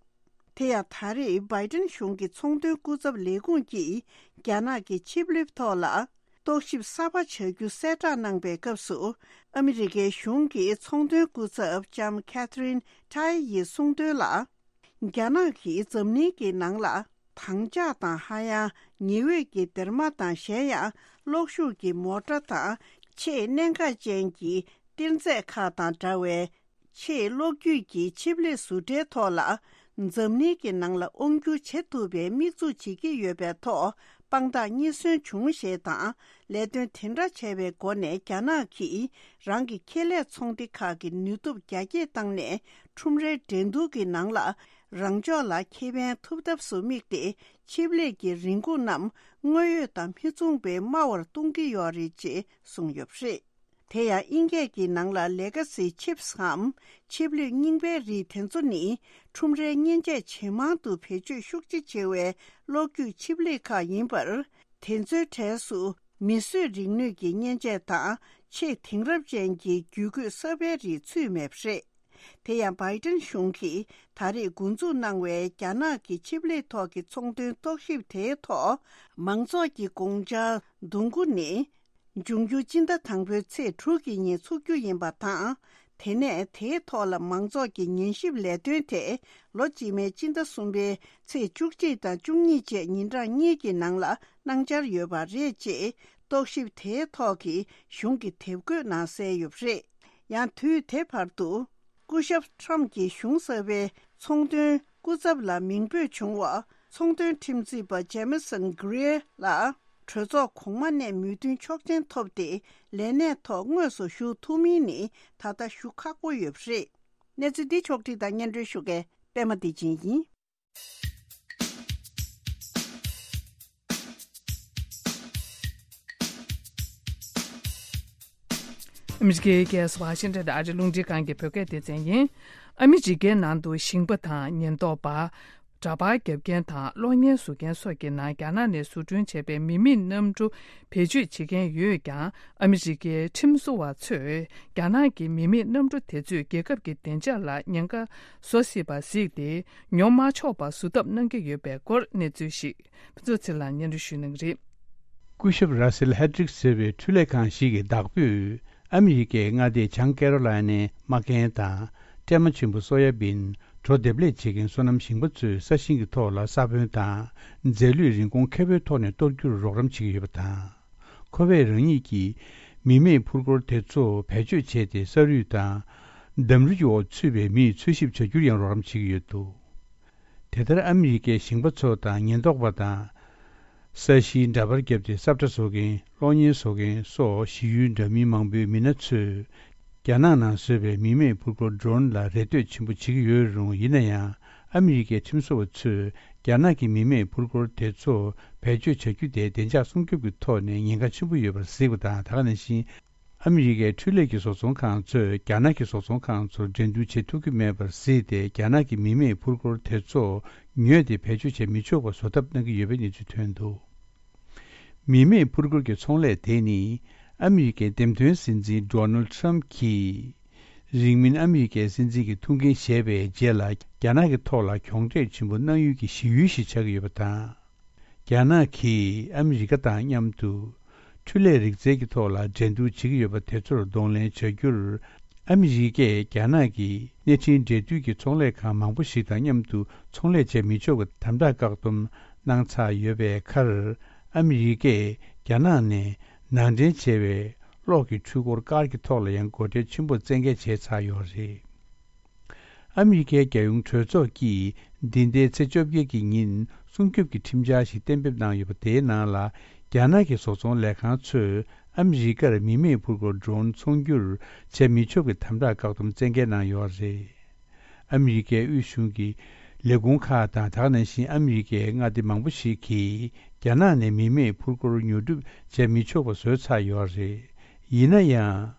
དེ་ཡང་ད་རེས་བྷའི་ཏན་གཞུང་གི་ཚོང་དོན་སྐུ་ཚབ་ལས་ཁུངས་ཀྱིས་རྒྱ་ནག་གི་ཅིབ་ལིབ་ཐོག་ལ་རྟོག་ཞིབ་གསར་པ་བྱ་རྒྱུ་གསལ་བསྒྲགས་གནང་པའི་སྐབས་སུ། ཨ་མི་རི་ཀའི་གཞུང་གི་ཚོང་དོན་སྐུ་ཚབ་ལྕམ་ཁེ་ཐི་རིན་ཊའེ་ཡིས་གསུངས་དོན་ལ། རྒྱ་ནག་གིས་འཛམ་གླིང་གི་ནང་ལ་དྭངས་ལྕགས་དང་ཧ་ཡང་ཉི་འོད་ཀྱི་སྡེར་མ་དང་གཞན་ཡང་གློག་ཤུགས་ཀྱི་མོ་ཊ་དང་ཆེས་གནད་འགག་ཅན་གྱི་གཏེར་རྫས་ཁག་དང་འདྲ་བའི་ཆེས་གློག་རྒྱུད་ཀྱི་ཆིབས་ལེ་བཟོ་གྲྭའི་ཐོག་ལ་འཛམ་གླིང་གི་ནང་ལ་དབང་སྒྱུར་བྱེད་ཐུབ་པའི་དམིགས་འཛུགས་བྱེད་ཀྱི་ཡོད་པའི་ཐོག་དཔང་རྟགས་རྙེད་སོན་བྱུང་ཞེས་དང་། ལས་དོན་དེ་འདྲ་བྱས་པའི་སྒོ་ནས་རྒྱ་ནག་གིས་རང་གི་ཁེ་ལས་ཚོང་སྡེ་ཁག་གི་ནུས་སྟོབས་རྒྱ་སྐྱེད་བཏང་ནས་ཁྲོམ་རའི་འགྲན་བསྡུར་གྱི་ནང་ལ་རང་ཕྱོགས་ལ་ཁེ་ཕན་ཐོབ་ཐབས་སུ་དམིགས་ཏེ་ཆིབས་ལེ་གྱི་རིན་གོང་རྣམས་དངོས་ཡོད་དང་མི་མཚུངས་པའི་དམའ་བར་གཏོང་གི་ཡོད་རེད་ཅེས་གསུངས་ཡོད་པ་རེད། དེ་ཡང་དབྱིན་སྐད་ཀྱི་ནང་ལ་ལེ་ག་སི་ཆིབས་སམ་ཆིབས་ལེ་རྙིང་པའི་རིགས་དེ་ཚོ་ནི་ཁྲོམ་རའི་མཉེན་ཆས་ཇེ་མང་དུ་བེད་སྤྱོད་ཤུགས་ཆེ་བྱེད་པའི་གློག་རྒྱུད་ཆིབས་ལེ་ཁག་ཡིན་པར། དེ་ཚོའི་གྲས་སུ་མིས་བཟོས་རིག་ནུས་ཀྱི་མཉེན་ཆས་དང་ཆེས་དེང་རབས་ཅན་གྱི་རྒྱུད་སྐུད་གསར་པའི་རིགས་ཚུད་མེད་པ་རེད། དེ་ཡང་བྷའི་ཏན་གཞུང་གིས་ད་རེས་འགོ་འཛུགས་གནང་བའི་རྒྱ་ནག་གི་ཆིབས་ལེ་ཐོག་གི་ཚོང་དོན་རྟོག་ཞིབ་དེའི་ཐོག་མང་ཚོགས་ཀྱི་དགོངས་འཆར་བསྡུ་འགོ་ནི། འབྱུང་འགྱུར་སྤྱི་ཟླ་དང་པོའི་ཚེས་དྲུག་གི་ཉིན་ཚུགས་རྒྱུ་ཡིན་པ་དང་། དེ་ནས་དེའི་ཐོག་ལ་མང་ཚོགས་ཀྱི་ཉན་ཞིབ་ལས་དོན་དེ་ལོ་རྗེས་མའི་སྤྱི་ཟླ་གསུམ་པའི་ཚེས་བཅུ་གཅིག་དང་བཅུ་གཉིས་བཅས་ཉིན་གྲངས་གཉིས་ཀྱི་ནང་ལ་གནང་འཆར་ཡོད་པ་རེད་ཅེས་རྟོག་ཞིབ་དེའི་ཐོག་གི་གཞུང་གི་དེབ་འགོད་ནང་གསལ་ཡོད་པ་རེད། ཡང་དུས་དེ་བར་དུ། སྐུ་ཞབས་ཁྲམ་གྱི་གཞུང་གསར་པའི་ཚོང་དོན་སྐུ་ཚབ་ལ་མིང་འབོད་བྱུང་བ། ཚོང་དོན་ཁྲིམས་རྩིས་པ་ཇེ་མི་སན་གྷི་རེ་ལ་གྲོས་ཚོགས་གོང་མ་ནས་མོས་མཐུན་ཆོག་མཆན་ཐོབ་སྟེ། ལས་གནས་ཐོག་དངོས་སུ་ཞུགས་ཐུབ་མིན་ནི་ད་ལྟ་ཞུ་ཁག་པོ་ཡོད་པ་རེད། གནས་ཚུལ་འདི་ཕྱོགས་བསྒྲིགས་དང་སྙན་སྒྲོན་ཞུ་མཁན་པད་མ་བདེ་ཆེན་ཡིན། ཨ་མི་རི་ཀའི་རྒྱལ་ས་ཝ་ཤིང་ཊོན་དུ་ཨ་རིའི་རླུང་འཕྲིན་ཁང་གི་བོད་སྐད་སྡེ་ཚན་ཡིན། ཨ་མི་རི་ཀའི་ནང་དུ་ཞིང་པ་དང་ཉེན་རྟོག་པ། འདྲ་པར་རྒྱབ་མཁན་དང་གློག་བརྙན་བཟོ་མཁན་སོགས་ཀྱི་ནང་རྒྱ་ནག་ནས་བཟོ་སྐྲུན་བྱས་པའི་མི་མེད་གནམ་གྲུ་བེད་སྤྱོད་བྱེད་མཁན་ཡོད་ཀྱང་། ཨ་མི་རི་ཀའི་ཁྲིམས་བཟོ་བ་ཚོས་རྒྱ་ནག་གི་མི་མེད་གནམ་གྲུ་དེ་ཚོས་རྒྱལ་ཁབ་ཀྱི་བདེ་འཇགས་ལ་ཉེན་ཁ་བཟོ་སྲིད་པ་གཟིགས་ཏེ། ཉོ་མ་ཆོག་པ་བཟོ་ཐབས་གནང་གི་ཡོད་པའི་སྐོར་གནས་ཚུལ་ཞིག་ཕུན་ཚོགས་ཚེ་རིང་ལགས་སྙན་སྒྲོན་ཞུ་གནང་གི་རེད། སྐུ་ཞབས་ར་སེལ་ཧེ་ཌྲིག་ཟེར་བའི་འཕྲུལ་ལས་ཁང་ཞིག་གི་བདག་པོས། ཨ་མི་རི་ཀའི་མངའ་སྡེ་བྱང་ཀེ་རོ་ལའི་ནའི་མ་རྒན་དང་སྲན་མ་ཆེན་པོ་སོ་ཡ་བིན། གྲོ་འདེབས་ལས་བྱེད་མཁན་སོ་ནམ་ཞིང་པ་ཚོས་ས་ཞིང་གི་ཐོག་ལ་ས་བོན་དང་རྫས་ལུད་རིན་གོང་ཁེ་པོའི་ཐོག་ནས་གཏོར་རྒྱུར་རོགས་རམ་བྱེད་ཀྱི་ཡོད་པ་དང་། ཁོ་པས་རང་ཉིད་ཀྱིས་མི་མེད་འཕུར་འཁོར་དེ་ཚོ་བེད་སྤྱོད་བྱས་ཏེ་ས་རུད་དང་འདམ་རུད་ཀྱི་འོག་ཚུད་པའི་མིས་འཚོལ་ཞིབ་བྱ་རྒྱུར་ཡང་རོགས་རམ་བྱེད་ཀྱི་ཡོད་འདུག་དེ་ལྟར་ཨ་མི་རི་ཀའི་ཞིང་པ་ཚོ་དང་ཉེན་རྟོག་པ་དང་། ས་གཞིའི་འདྲ་པར་བརྒྱབ་སྟེ་ས་ཁྲ་བཟོ་མཁན། གློག་བརྙན་བཟོ་མཁན་སོགས་གཞི་ཡུལ་འདྲ་མིན་མང་པོའི་མི་སྣ་ཚོས། རྒྱ་ནག་ནང་བཟོས་པའི་མི་མེད་འཕུར་འཁོར་ཌོ་རོན་ལ་རེ་ལྟོས་ཆེན་པོ་བྱེད་ཀྱི་ཡོད་རུང་། ཡིན་ན་ཡང་། ཨ་མི་རི་ཀའི་ཁྲིམས་བཟོ་བ་ཚོས་རྒྱ་ནག་གི་མི་མེད་འཕུར་འཁོར་དེ་ཚོ་བེད་སྤྱོད་བྱ་རྒྱུ་དེ་བདེ་འཇགས་སྲུང་སྐྱོབ་ཀྱི་ཐོག་ནས་ཉེན་ཁ་ཆེན་པོ་ཡོད་པར་གཟིགས་པ་དང་། ད་ག་ནང་བཞིན། ཨ་མི་རི་ཀའི་འཕྲུལ་ལས་ཀྱི་བཟོ་ཚོང་ཁང་ཚོས་རྒྱ་ནག་གི་བཟོ་ཚོང་ཁང་ཚོར་འགྲན་བསྡུར་བྱེད་ཐུབ་ཀྱི་མེད་པར་གཟིགས་ཏེ། རྒྱ་ནག་གི་མི་མེད་འཕུར་འཁོར་དེ་ཚོ་ཉོས་ཏེ་བེད་སྤྱོད་བྱེད་མི་ཆོག་པར་བཟོ་ཐབས་གནང་གི་ཡོད་པའི་གནས་ཚུལ་ཐོན་འདུག་མི་མེད་འཕུར་འཁོར་གྱི་ཚོང་ལས་དེ་ནི། ཨ་མི་རི་ཀའི་འདེམས་ཐོན་སྲིད་འཛིན་ཌོ་ནལ་ཌི་ཊརམ་ཕི་གྱིས། རིང་མིན་ཨ་མི་རི་ཀའི་སྲིད་འཛིན་གྱི་ཐུགས་འགན་བཞེས་པའི་རྗེས་ལ། རྒྱ་ནག་གི་ཐོག་ལ་གྱོང་གྲད་ཆེན་པོ་གནང་ཡུལ་གྱི་གཞི་ཡུལ་ཞིག་ཆགས་ཀྱི་ཡོད་པ་དང་། རྒྱ་ནག་གིས་ཨ་མི་རི་ཀ་དང་མཉམ་དུ། འཕྲུལ་ལས་རིག་རྩལ་གྱི་ཐོག་ལ་འགྲན་བསྡུར་བྱེད་ཀྱི་ཡོད་པ་དེ་ཚོར་གདོང་ལེན་བྱ་རྒྱུར། ཨ་མི་རི་ཀས་རྒྱ་ནག་གི་གནས་འཕྲིན་འབྲེལ་མཐུད་ཀྱི་ཚོང་ལས་ཁང་མང་པོ་ཞིག་དང་མཉམ་དུ་ཚོང་ལས་བྱེད་མི་ཆོག་པའི་དམ་དྲག་བཀག་སྡོམ་གནང་ཚར་ཡོད་པའི་ཁར། ཨ་མི་རི་ཀས་རྒྱ་ནག་ནས་ནང་འདྲེན་བྱས་པའི་གློག་གི་འཕྲུལ་འཁོར་ཀར་གྱི་ཐོག་ལ་ཡང་སྒོ་ཁྲལ་ཆེན་པོ་བཙན་འགེལ་བྱས་ཚར་ཡོད་རེད། ཨ་མི་རི་ཀའི་རྒྱལ་ཡོངས་གྲོས་ཚོགས་ཀྱིས་འདི་ཟླའི་ཚེས་བཅོ་བརྒྱད་ཀྱི་ཉིན་སྲུང་སྐྱོབ་ཀྱི་ཁྲིམས་འཆར་ཞིག་གཏན་འབེབས་གནང་ཡོད་པ། དེའི་ནང་ལ། རྒྱ་ནག་གི་བཟོ་ཚོང་ལས་ཁང་ཚོས་ཨ་མི་རི་ཀར་མི་མེད་འཕུར་འཁོར་ཌོ་རོན་ཚོང་སྒྱུར་བྱེད་མི་ཆོག་པའི་དམ་དྲག་བཀག་སྡོམ་བཙན་འགེལ་གནང་ཡོད་རེད། ཨ་མི་རི་ཀའི་དབུས་གཞུང་གི་ལས་ཁུངས་ཁག་དང་། ད་ག་ནང་བཞིན་ཨ་མི་རི་ཀའི་མངའ་སྡེ་མང་པོ་ཞིག་གིས་རྒྱ་ནག་ནས་མི་མེད་འཕུར་འཁོར་ཉོ་སྒྲུབ་བྱེད་མི་ཆོག་པ་བཟོས་ཚར་ཡོད་རེད། ཡིན་ན་ཡང་།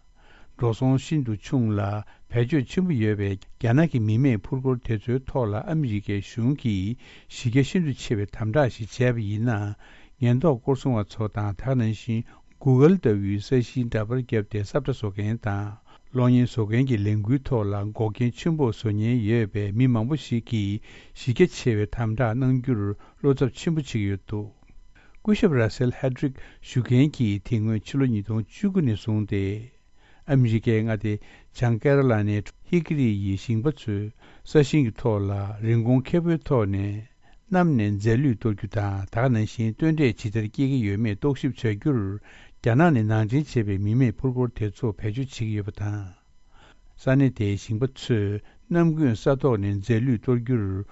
འགྲོ་སོང་ཤིན་ཏུ་ཆུང་ལ་བེད་སྤྱོད་ཆེན་པོ་ཡོད་པའི་རྒྱ་ནག་གི་མི་མེད་འཕུར་འཁོར་དེ་ཚོའི་ཐོག་ལ་ཨ་མི་རི་ཀའི་གཞུང་གིས་གཞི་རྒྱ་ཤིན་ཏུ་ཆེ་བའི་དམ་དྲག་ཞིག་བྱས་པ་ཡིན་ན། ཉེན་རྟོག་སྐོར་སྲུང་བ་ཚོ་དང་། ད་ག་ནང་བཞིན་གུ་གལ་ལྟ་བུའི་ས་ཞིང་འདྲ་པར་བརྒྱབ་སྟེ་ས་བཀྲ་བཟོ་མཁན་དང་། གློག་བརྙན་བཟོ་མཁན་གྱི་ལས་འགུལ་ཐོག་ལ་འགོག་རྐྱེན་ཆེན་པོ་བཟོ་ཉེན་ཡོད་པའི་མི་མང་པོ་ཞིག་གིས་གཞི་རྒྱ་ཆེ་བའི་དམ་དྲག་གནང་རྒྱུར་བློ་འཚབ་ཆེན་པོ་བྱེད་ཀྱི་ཡོད་འདུག་སྐུ་ཞབས་ར་སེལ་ཧེ་ཌི་རིག་ཞུ་མཁན་གྱིས་དེ་སྔོན་ཕྱི་ལོ་ཉིས་སྟོང་བཅུ་དགུ་ནས་བཟུང་སྟེ། ཨ་མི་རི་ཀའི་མངའ་སྡེ་བྱང་ཀེ་ར་ལ་ནའི་ཧི་ཀི་རི་ཡི་ཞིང་པ་ཚོས་ས་ཞིང་གི་ཐོག་ལ་རིན་གོང་ཁེ་པོའི་ཐོག་ནས་གནམ་ནས་རྫས་ལུད་གཏོར་རྒྱུ་དང་། ད་ག་ནང་བཞིན་སྟོན་འབྲས་ཇི་ལྟར་སྐྱེ་གི་ཡོད་མེད་རྟོག་ཞིབ་བྱ་རྒྱུར། རྒྱ་ནག་ནས་ནང་འདྲེན་བྱས་པའི་མི་མེད་འཕུར་འཁོར་དེ་ཚོ་བེད་སྤྱོད་བྱེད་ཀྱི་ཡོད་པ་དང་། ས་གནས་དེའི་ཞིང་པ་ཚོས་ནམ་རྒྱུན་ས་ཐོག་ནས་རྫས་ལུད་གཏོར་རྒྱུར།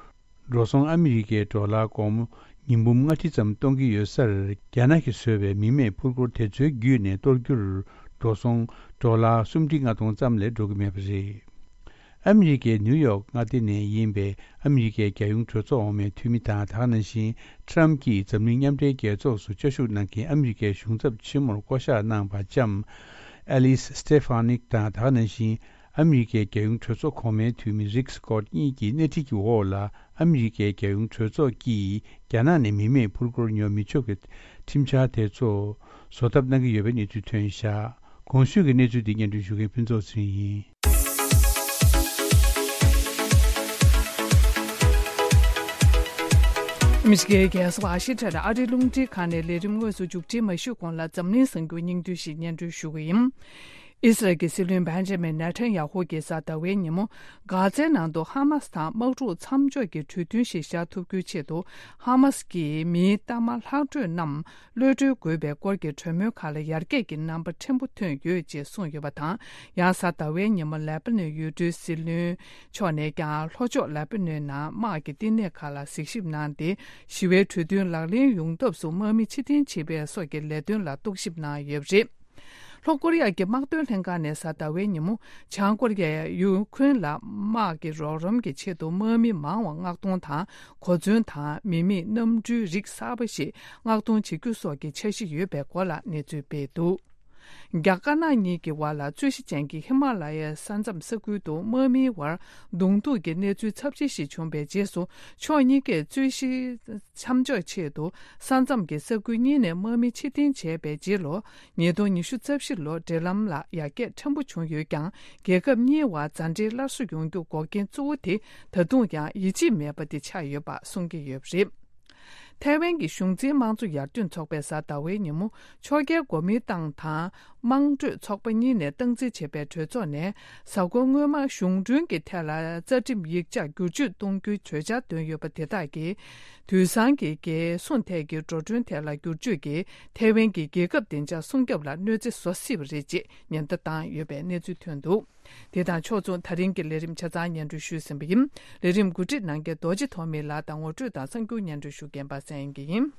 འགྲོ་སོང་ཨ་མི་རི་ཀའི་ཌོ་ལར་སྒོར་མོ་ཉིས་འབུམ་ལྔ་ཁྲི་ཙམ་གཏོང་གི་ཡོད་སར། རྒྱ་ནག་གིས་བཟོས་པའི་མི་མེད་འཕུར་འཁོར་དེ་ཚོའི་བརྒྱུད་ནས་གཏོར་རྒྱུར། འགྲོ་སོང་ཌོ་ལར་སུམ་ཁྲི་ལྔ་སྟོང་ཙམ་ལས་འགྲོ་གི་མེད་པ་རེད། ཨ་མི་རི་ཀའི་ནིའུ་ཡོག་མངའ་སྡེ་ནས་ཡིན་པའི་ཨ་མི་རི་ཀའི་རྒྱལ་ཡོངས་གྲོས་ཚོགས་འོག་མའི་འཐུས་མི་དང་། ད་ག་ནང་བཞིན་ཊམ་གྱིས་འཛམ་གླིང་མཉམ་འབྲེལ་རྒྱལ་ཚོགས་སུ་བཅའ་བཞུགས་གནང་མཁན་ཨ་མི་རི་ཀའི་གཞུང་ཚབ་ཆེན་མོར་བསྐོ་གཞག་གནང་བ་ལྕམ་ཨེ་ལིས་སི་ཊེ་ཕ་ནིག་དང་། ད་ག་ནང་བཞིན་ཨ་མི་རི་ཀའི་རྒྱལ་ཡོངས་གྲོས་ཚོགས་གོང་མའི་འཐུས་མི་རིག་སི་ཀོཊ་གཉིས་ཀྱི་སྣེ་ཁྲིད་ཀྱི་འོག་ལ། ཨ་མི་རི་ཀའི་རྒྱལ་ཡོངས་གྲོས་ཚོགས་ཀྱིས་རྒྱ་ནག་ནས་མི་མེད་འཕུར་འཁོར་ཉོ་མི་ཆོག་གི་ཁྲིམས་འཆར་དེ་ཚོ་བཟོ་ཐབས་གནང་གི་ཡོད་པའི་གནས་ཚུལ་ཐོན་བཞག་གོང་ཞུས་ཀྱི་གནས་ཚུལ་འདི་སྙན་སྒྲོན་ཞུ་མཁན་ཕུན་ཚོགས་ཚེ་རིང་ཡིན། ཨ་མི་རི་ཀའི་རྒྱལ་ས་ཝ་ཤིང་ཊོན་ཨ་རིའི་རླུང་འཕྲིན་ཁང་ནས་ལས་རིམ་དངོས་སུ་མཇུག་སྒྲིལ་མ་ཞུས་གོང་ལ། འཛམ་གླིང་གསར་འགྱུར་སྙིང་བསྡུས་ཤིག་སྙན་སྒྲོན་ཞུ་གི་ཡིན། ཨི་སི་རལ་གྱི་སྲིད་བློན་བྷན་ཇ་མིན་ནེ་ཐན་ཡ་ཧུ་གྱིས་གཟའ་ཟླ་བའི་ཉིན་མོ། གྷ་ཛའི་ནང་དུ་ཧ་མ་སི་དང་དམག་འཁྲུག་མཚམས་འཇོག་གི་གྲོས་མཐུན་ཞིག་བཞག་ཐུབ་རྒྱུའི་ཆེད་དུ། ཧ་མ་སི་ཀྱིས་མིའི་གཏའ་མ་ལྷག་འཕྲོས་རྣམས་གློད་གྲོལ་དགོས་པའི་སྐོར་གྱི་གྲོས་མོལ་ཁག་ལ་ཡར་རྒྱས་ཀྱི་རྣམ་པ་ཕྲན་བུ་ཐོན་ཡོད་ཅེས་གསུངས་ཡོད་པ་དང་། ཡང་གཟའ་ཟླ་བའི་ཉིན་མོ་ལེ་པ་ནོན་ཡུལ་གྲུའི་སྲིད་བློན་མཆོག་ནས་ཀྱང་ལྷོ་ཕྱོགས་ལེ་པ་ནོན་ནང་དམག་གི་བསྟི་གནས་ཁག་ལ་གཟིགས་ཞིབ་གནང་སྟེ། ཞི་བའི་གྲོས་མཐུན་ལག་ལེན་ཡོང་ཐབས་སུ་དམག་མི་ཕྱིར་འཐེན་བྱེད་པའི་སོགས་ཀྱི་ལས་དོན་ལ་རྟོག་ཞིབ་གནང་ཡོད་པ་རེད། ལྷོ་ཀོ་རི་ཡ་གྱི་དམག་དོན་ལྷན་ཁང་ནས་གཟའ་ཟླ་བའི་ཉིན་མོ། བྱང་ཀོ་རི་ཡས་ཡུ་ཁུན་ལ་དམག་གི་རོགས་རམ་གྱི་ཆེད་དུ་དམག་མི་མང་བ་མངགས་གཏོང་དང་། གོ་མཚོན་དང་མི་མེད་གནམ་གྲུའི་རིགས་གསར་པ་ཞིག་མངགས་གཏོང་བྱེད་རྒྱུ་སོགས་ཀྱི་འཆར་གཞི་ཡོད་པའི་སྐོར་ལ་གནས་ཚུལ་སྤེལ་འདུག་རྒྱ་དཀར་ནག་གཉིས་ཀྱི་བར་ལ་རྩོད་གཞི་ཅན་གྱི་ཧི་མ་ལ་ཡའི་ས་མཚམས་ས་ཁུལ་དུ་དམག་མིའི་བར་གདོང་ཐུག་གི་གནས་ཚུལ་ཚབས་ཆེ་ཞིག་བྱུང་བའི་རྗེས་སུ། ཕྱོགས་གཉིས་ཀས་རྩོད་གཞི་མཚམས་འཇོག་ཆེད་དུ་ས་མཚམས་ཀྱི་ས་ཁུལ་གཉིས་ནས་དམག་མི་ཕྱིར་འཐེན་བྱས་པའི་རྗེས་ལོ། ཉིས་སྟོང་ཉི་ཤུ་རྩ་བཞི་ལོ་འབྲེལ་ལམ་ལ་ཡར་རྒྱས་ཕྲན་བུ་བྱུང་ཡོད་ཀྱང་། རྒྱལ་ཁབ་གཉིས་བར་མཛའ་འབྲེལ་སླར་གསོ་ཡོང་རྒྱུ་འགོག་རྐྱེན་གཙོ་བོ་དེ་ད་དུང་ཡང་ཡིད་ཆེས་མེད་པ་དེ་ཆགས་ཡོད་པ་གསུང་གི་ཡོད་པ་རེད། ཐའེ་ཝན་གྱི་གཞུང་འཛིན་དམངས་གཙོ་ཡར་ཐོན་ཚོགས་པས་གཟའ་ཟླ་བའི་ཉིན་མོ། ཕྱོགས་འགལ་གོ་མིན་ཏང་དང་། དམངས་ཁྲོད་ཚོགས་པ་གཉིས་ནས་སྟངས་འཛིན་བྱས་པའི་གྲོས་ཚོགས་ནས། གཟའ་འཁོར་སྔོན་མ་གཞུང་གྲོན་གྱི་ཐད་ལ་རྩ་ཁྲིམས་ཡིག་ཆ་བསྒྱུར་བཅོས་གཏོང་རྒྱུའི་གྲོས་འཆར་བཏོན་ཡོད་པ་དེ་དག་གིས། དུས་སང་གི་རྒྱལ་སྲུང་ཐད་ཀྱི་འགྲོ་གྲོན་ཐད་ལ་བསྒྱུར་བཅོས་ཀྱིས་ཐའེ་ཝན་གྱི་རྒྱལ་ཁབ་བདེ་འཇགས་སྲུང་སྐྱོབ་ལ་གནོད་འཚེ་བཟོ་སྲིད་པ་རེད་ཅེས་ཉེན་བརྡ་བཏང་ཡོད་པའི་གནས་ཚུལ་ཐོན་འདུག་དེ་དང་ཕྱོགས་མཚུངས། ད་རིང་གི་ལས་རིམ་ཆ་ཚང་སྙན་སྒྲོན་ཞུས་ཟིན་པ་ཡིན། ལས་རིམ་གོ་སྒྲིག་གནང་མཁན་རྡོ་རྗེ་ཐོགས་མེད་ལགས་དང་། ངོ་སྤྲོད་དང་གསར་འགྱུར་སྙན་སྒྲོན་ཞུ་མཁན་པ་སངས་དབྱངས་སྐྱིད་ཡིན།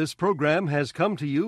This program has come to you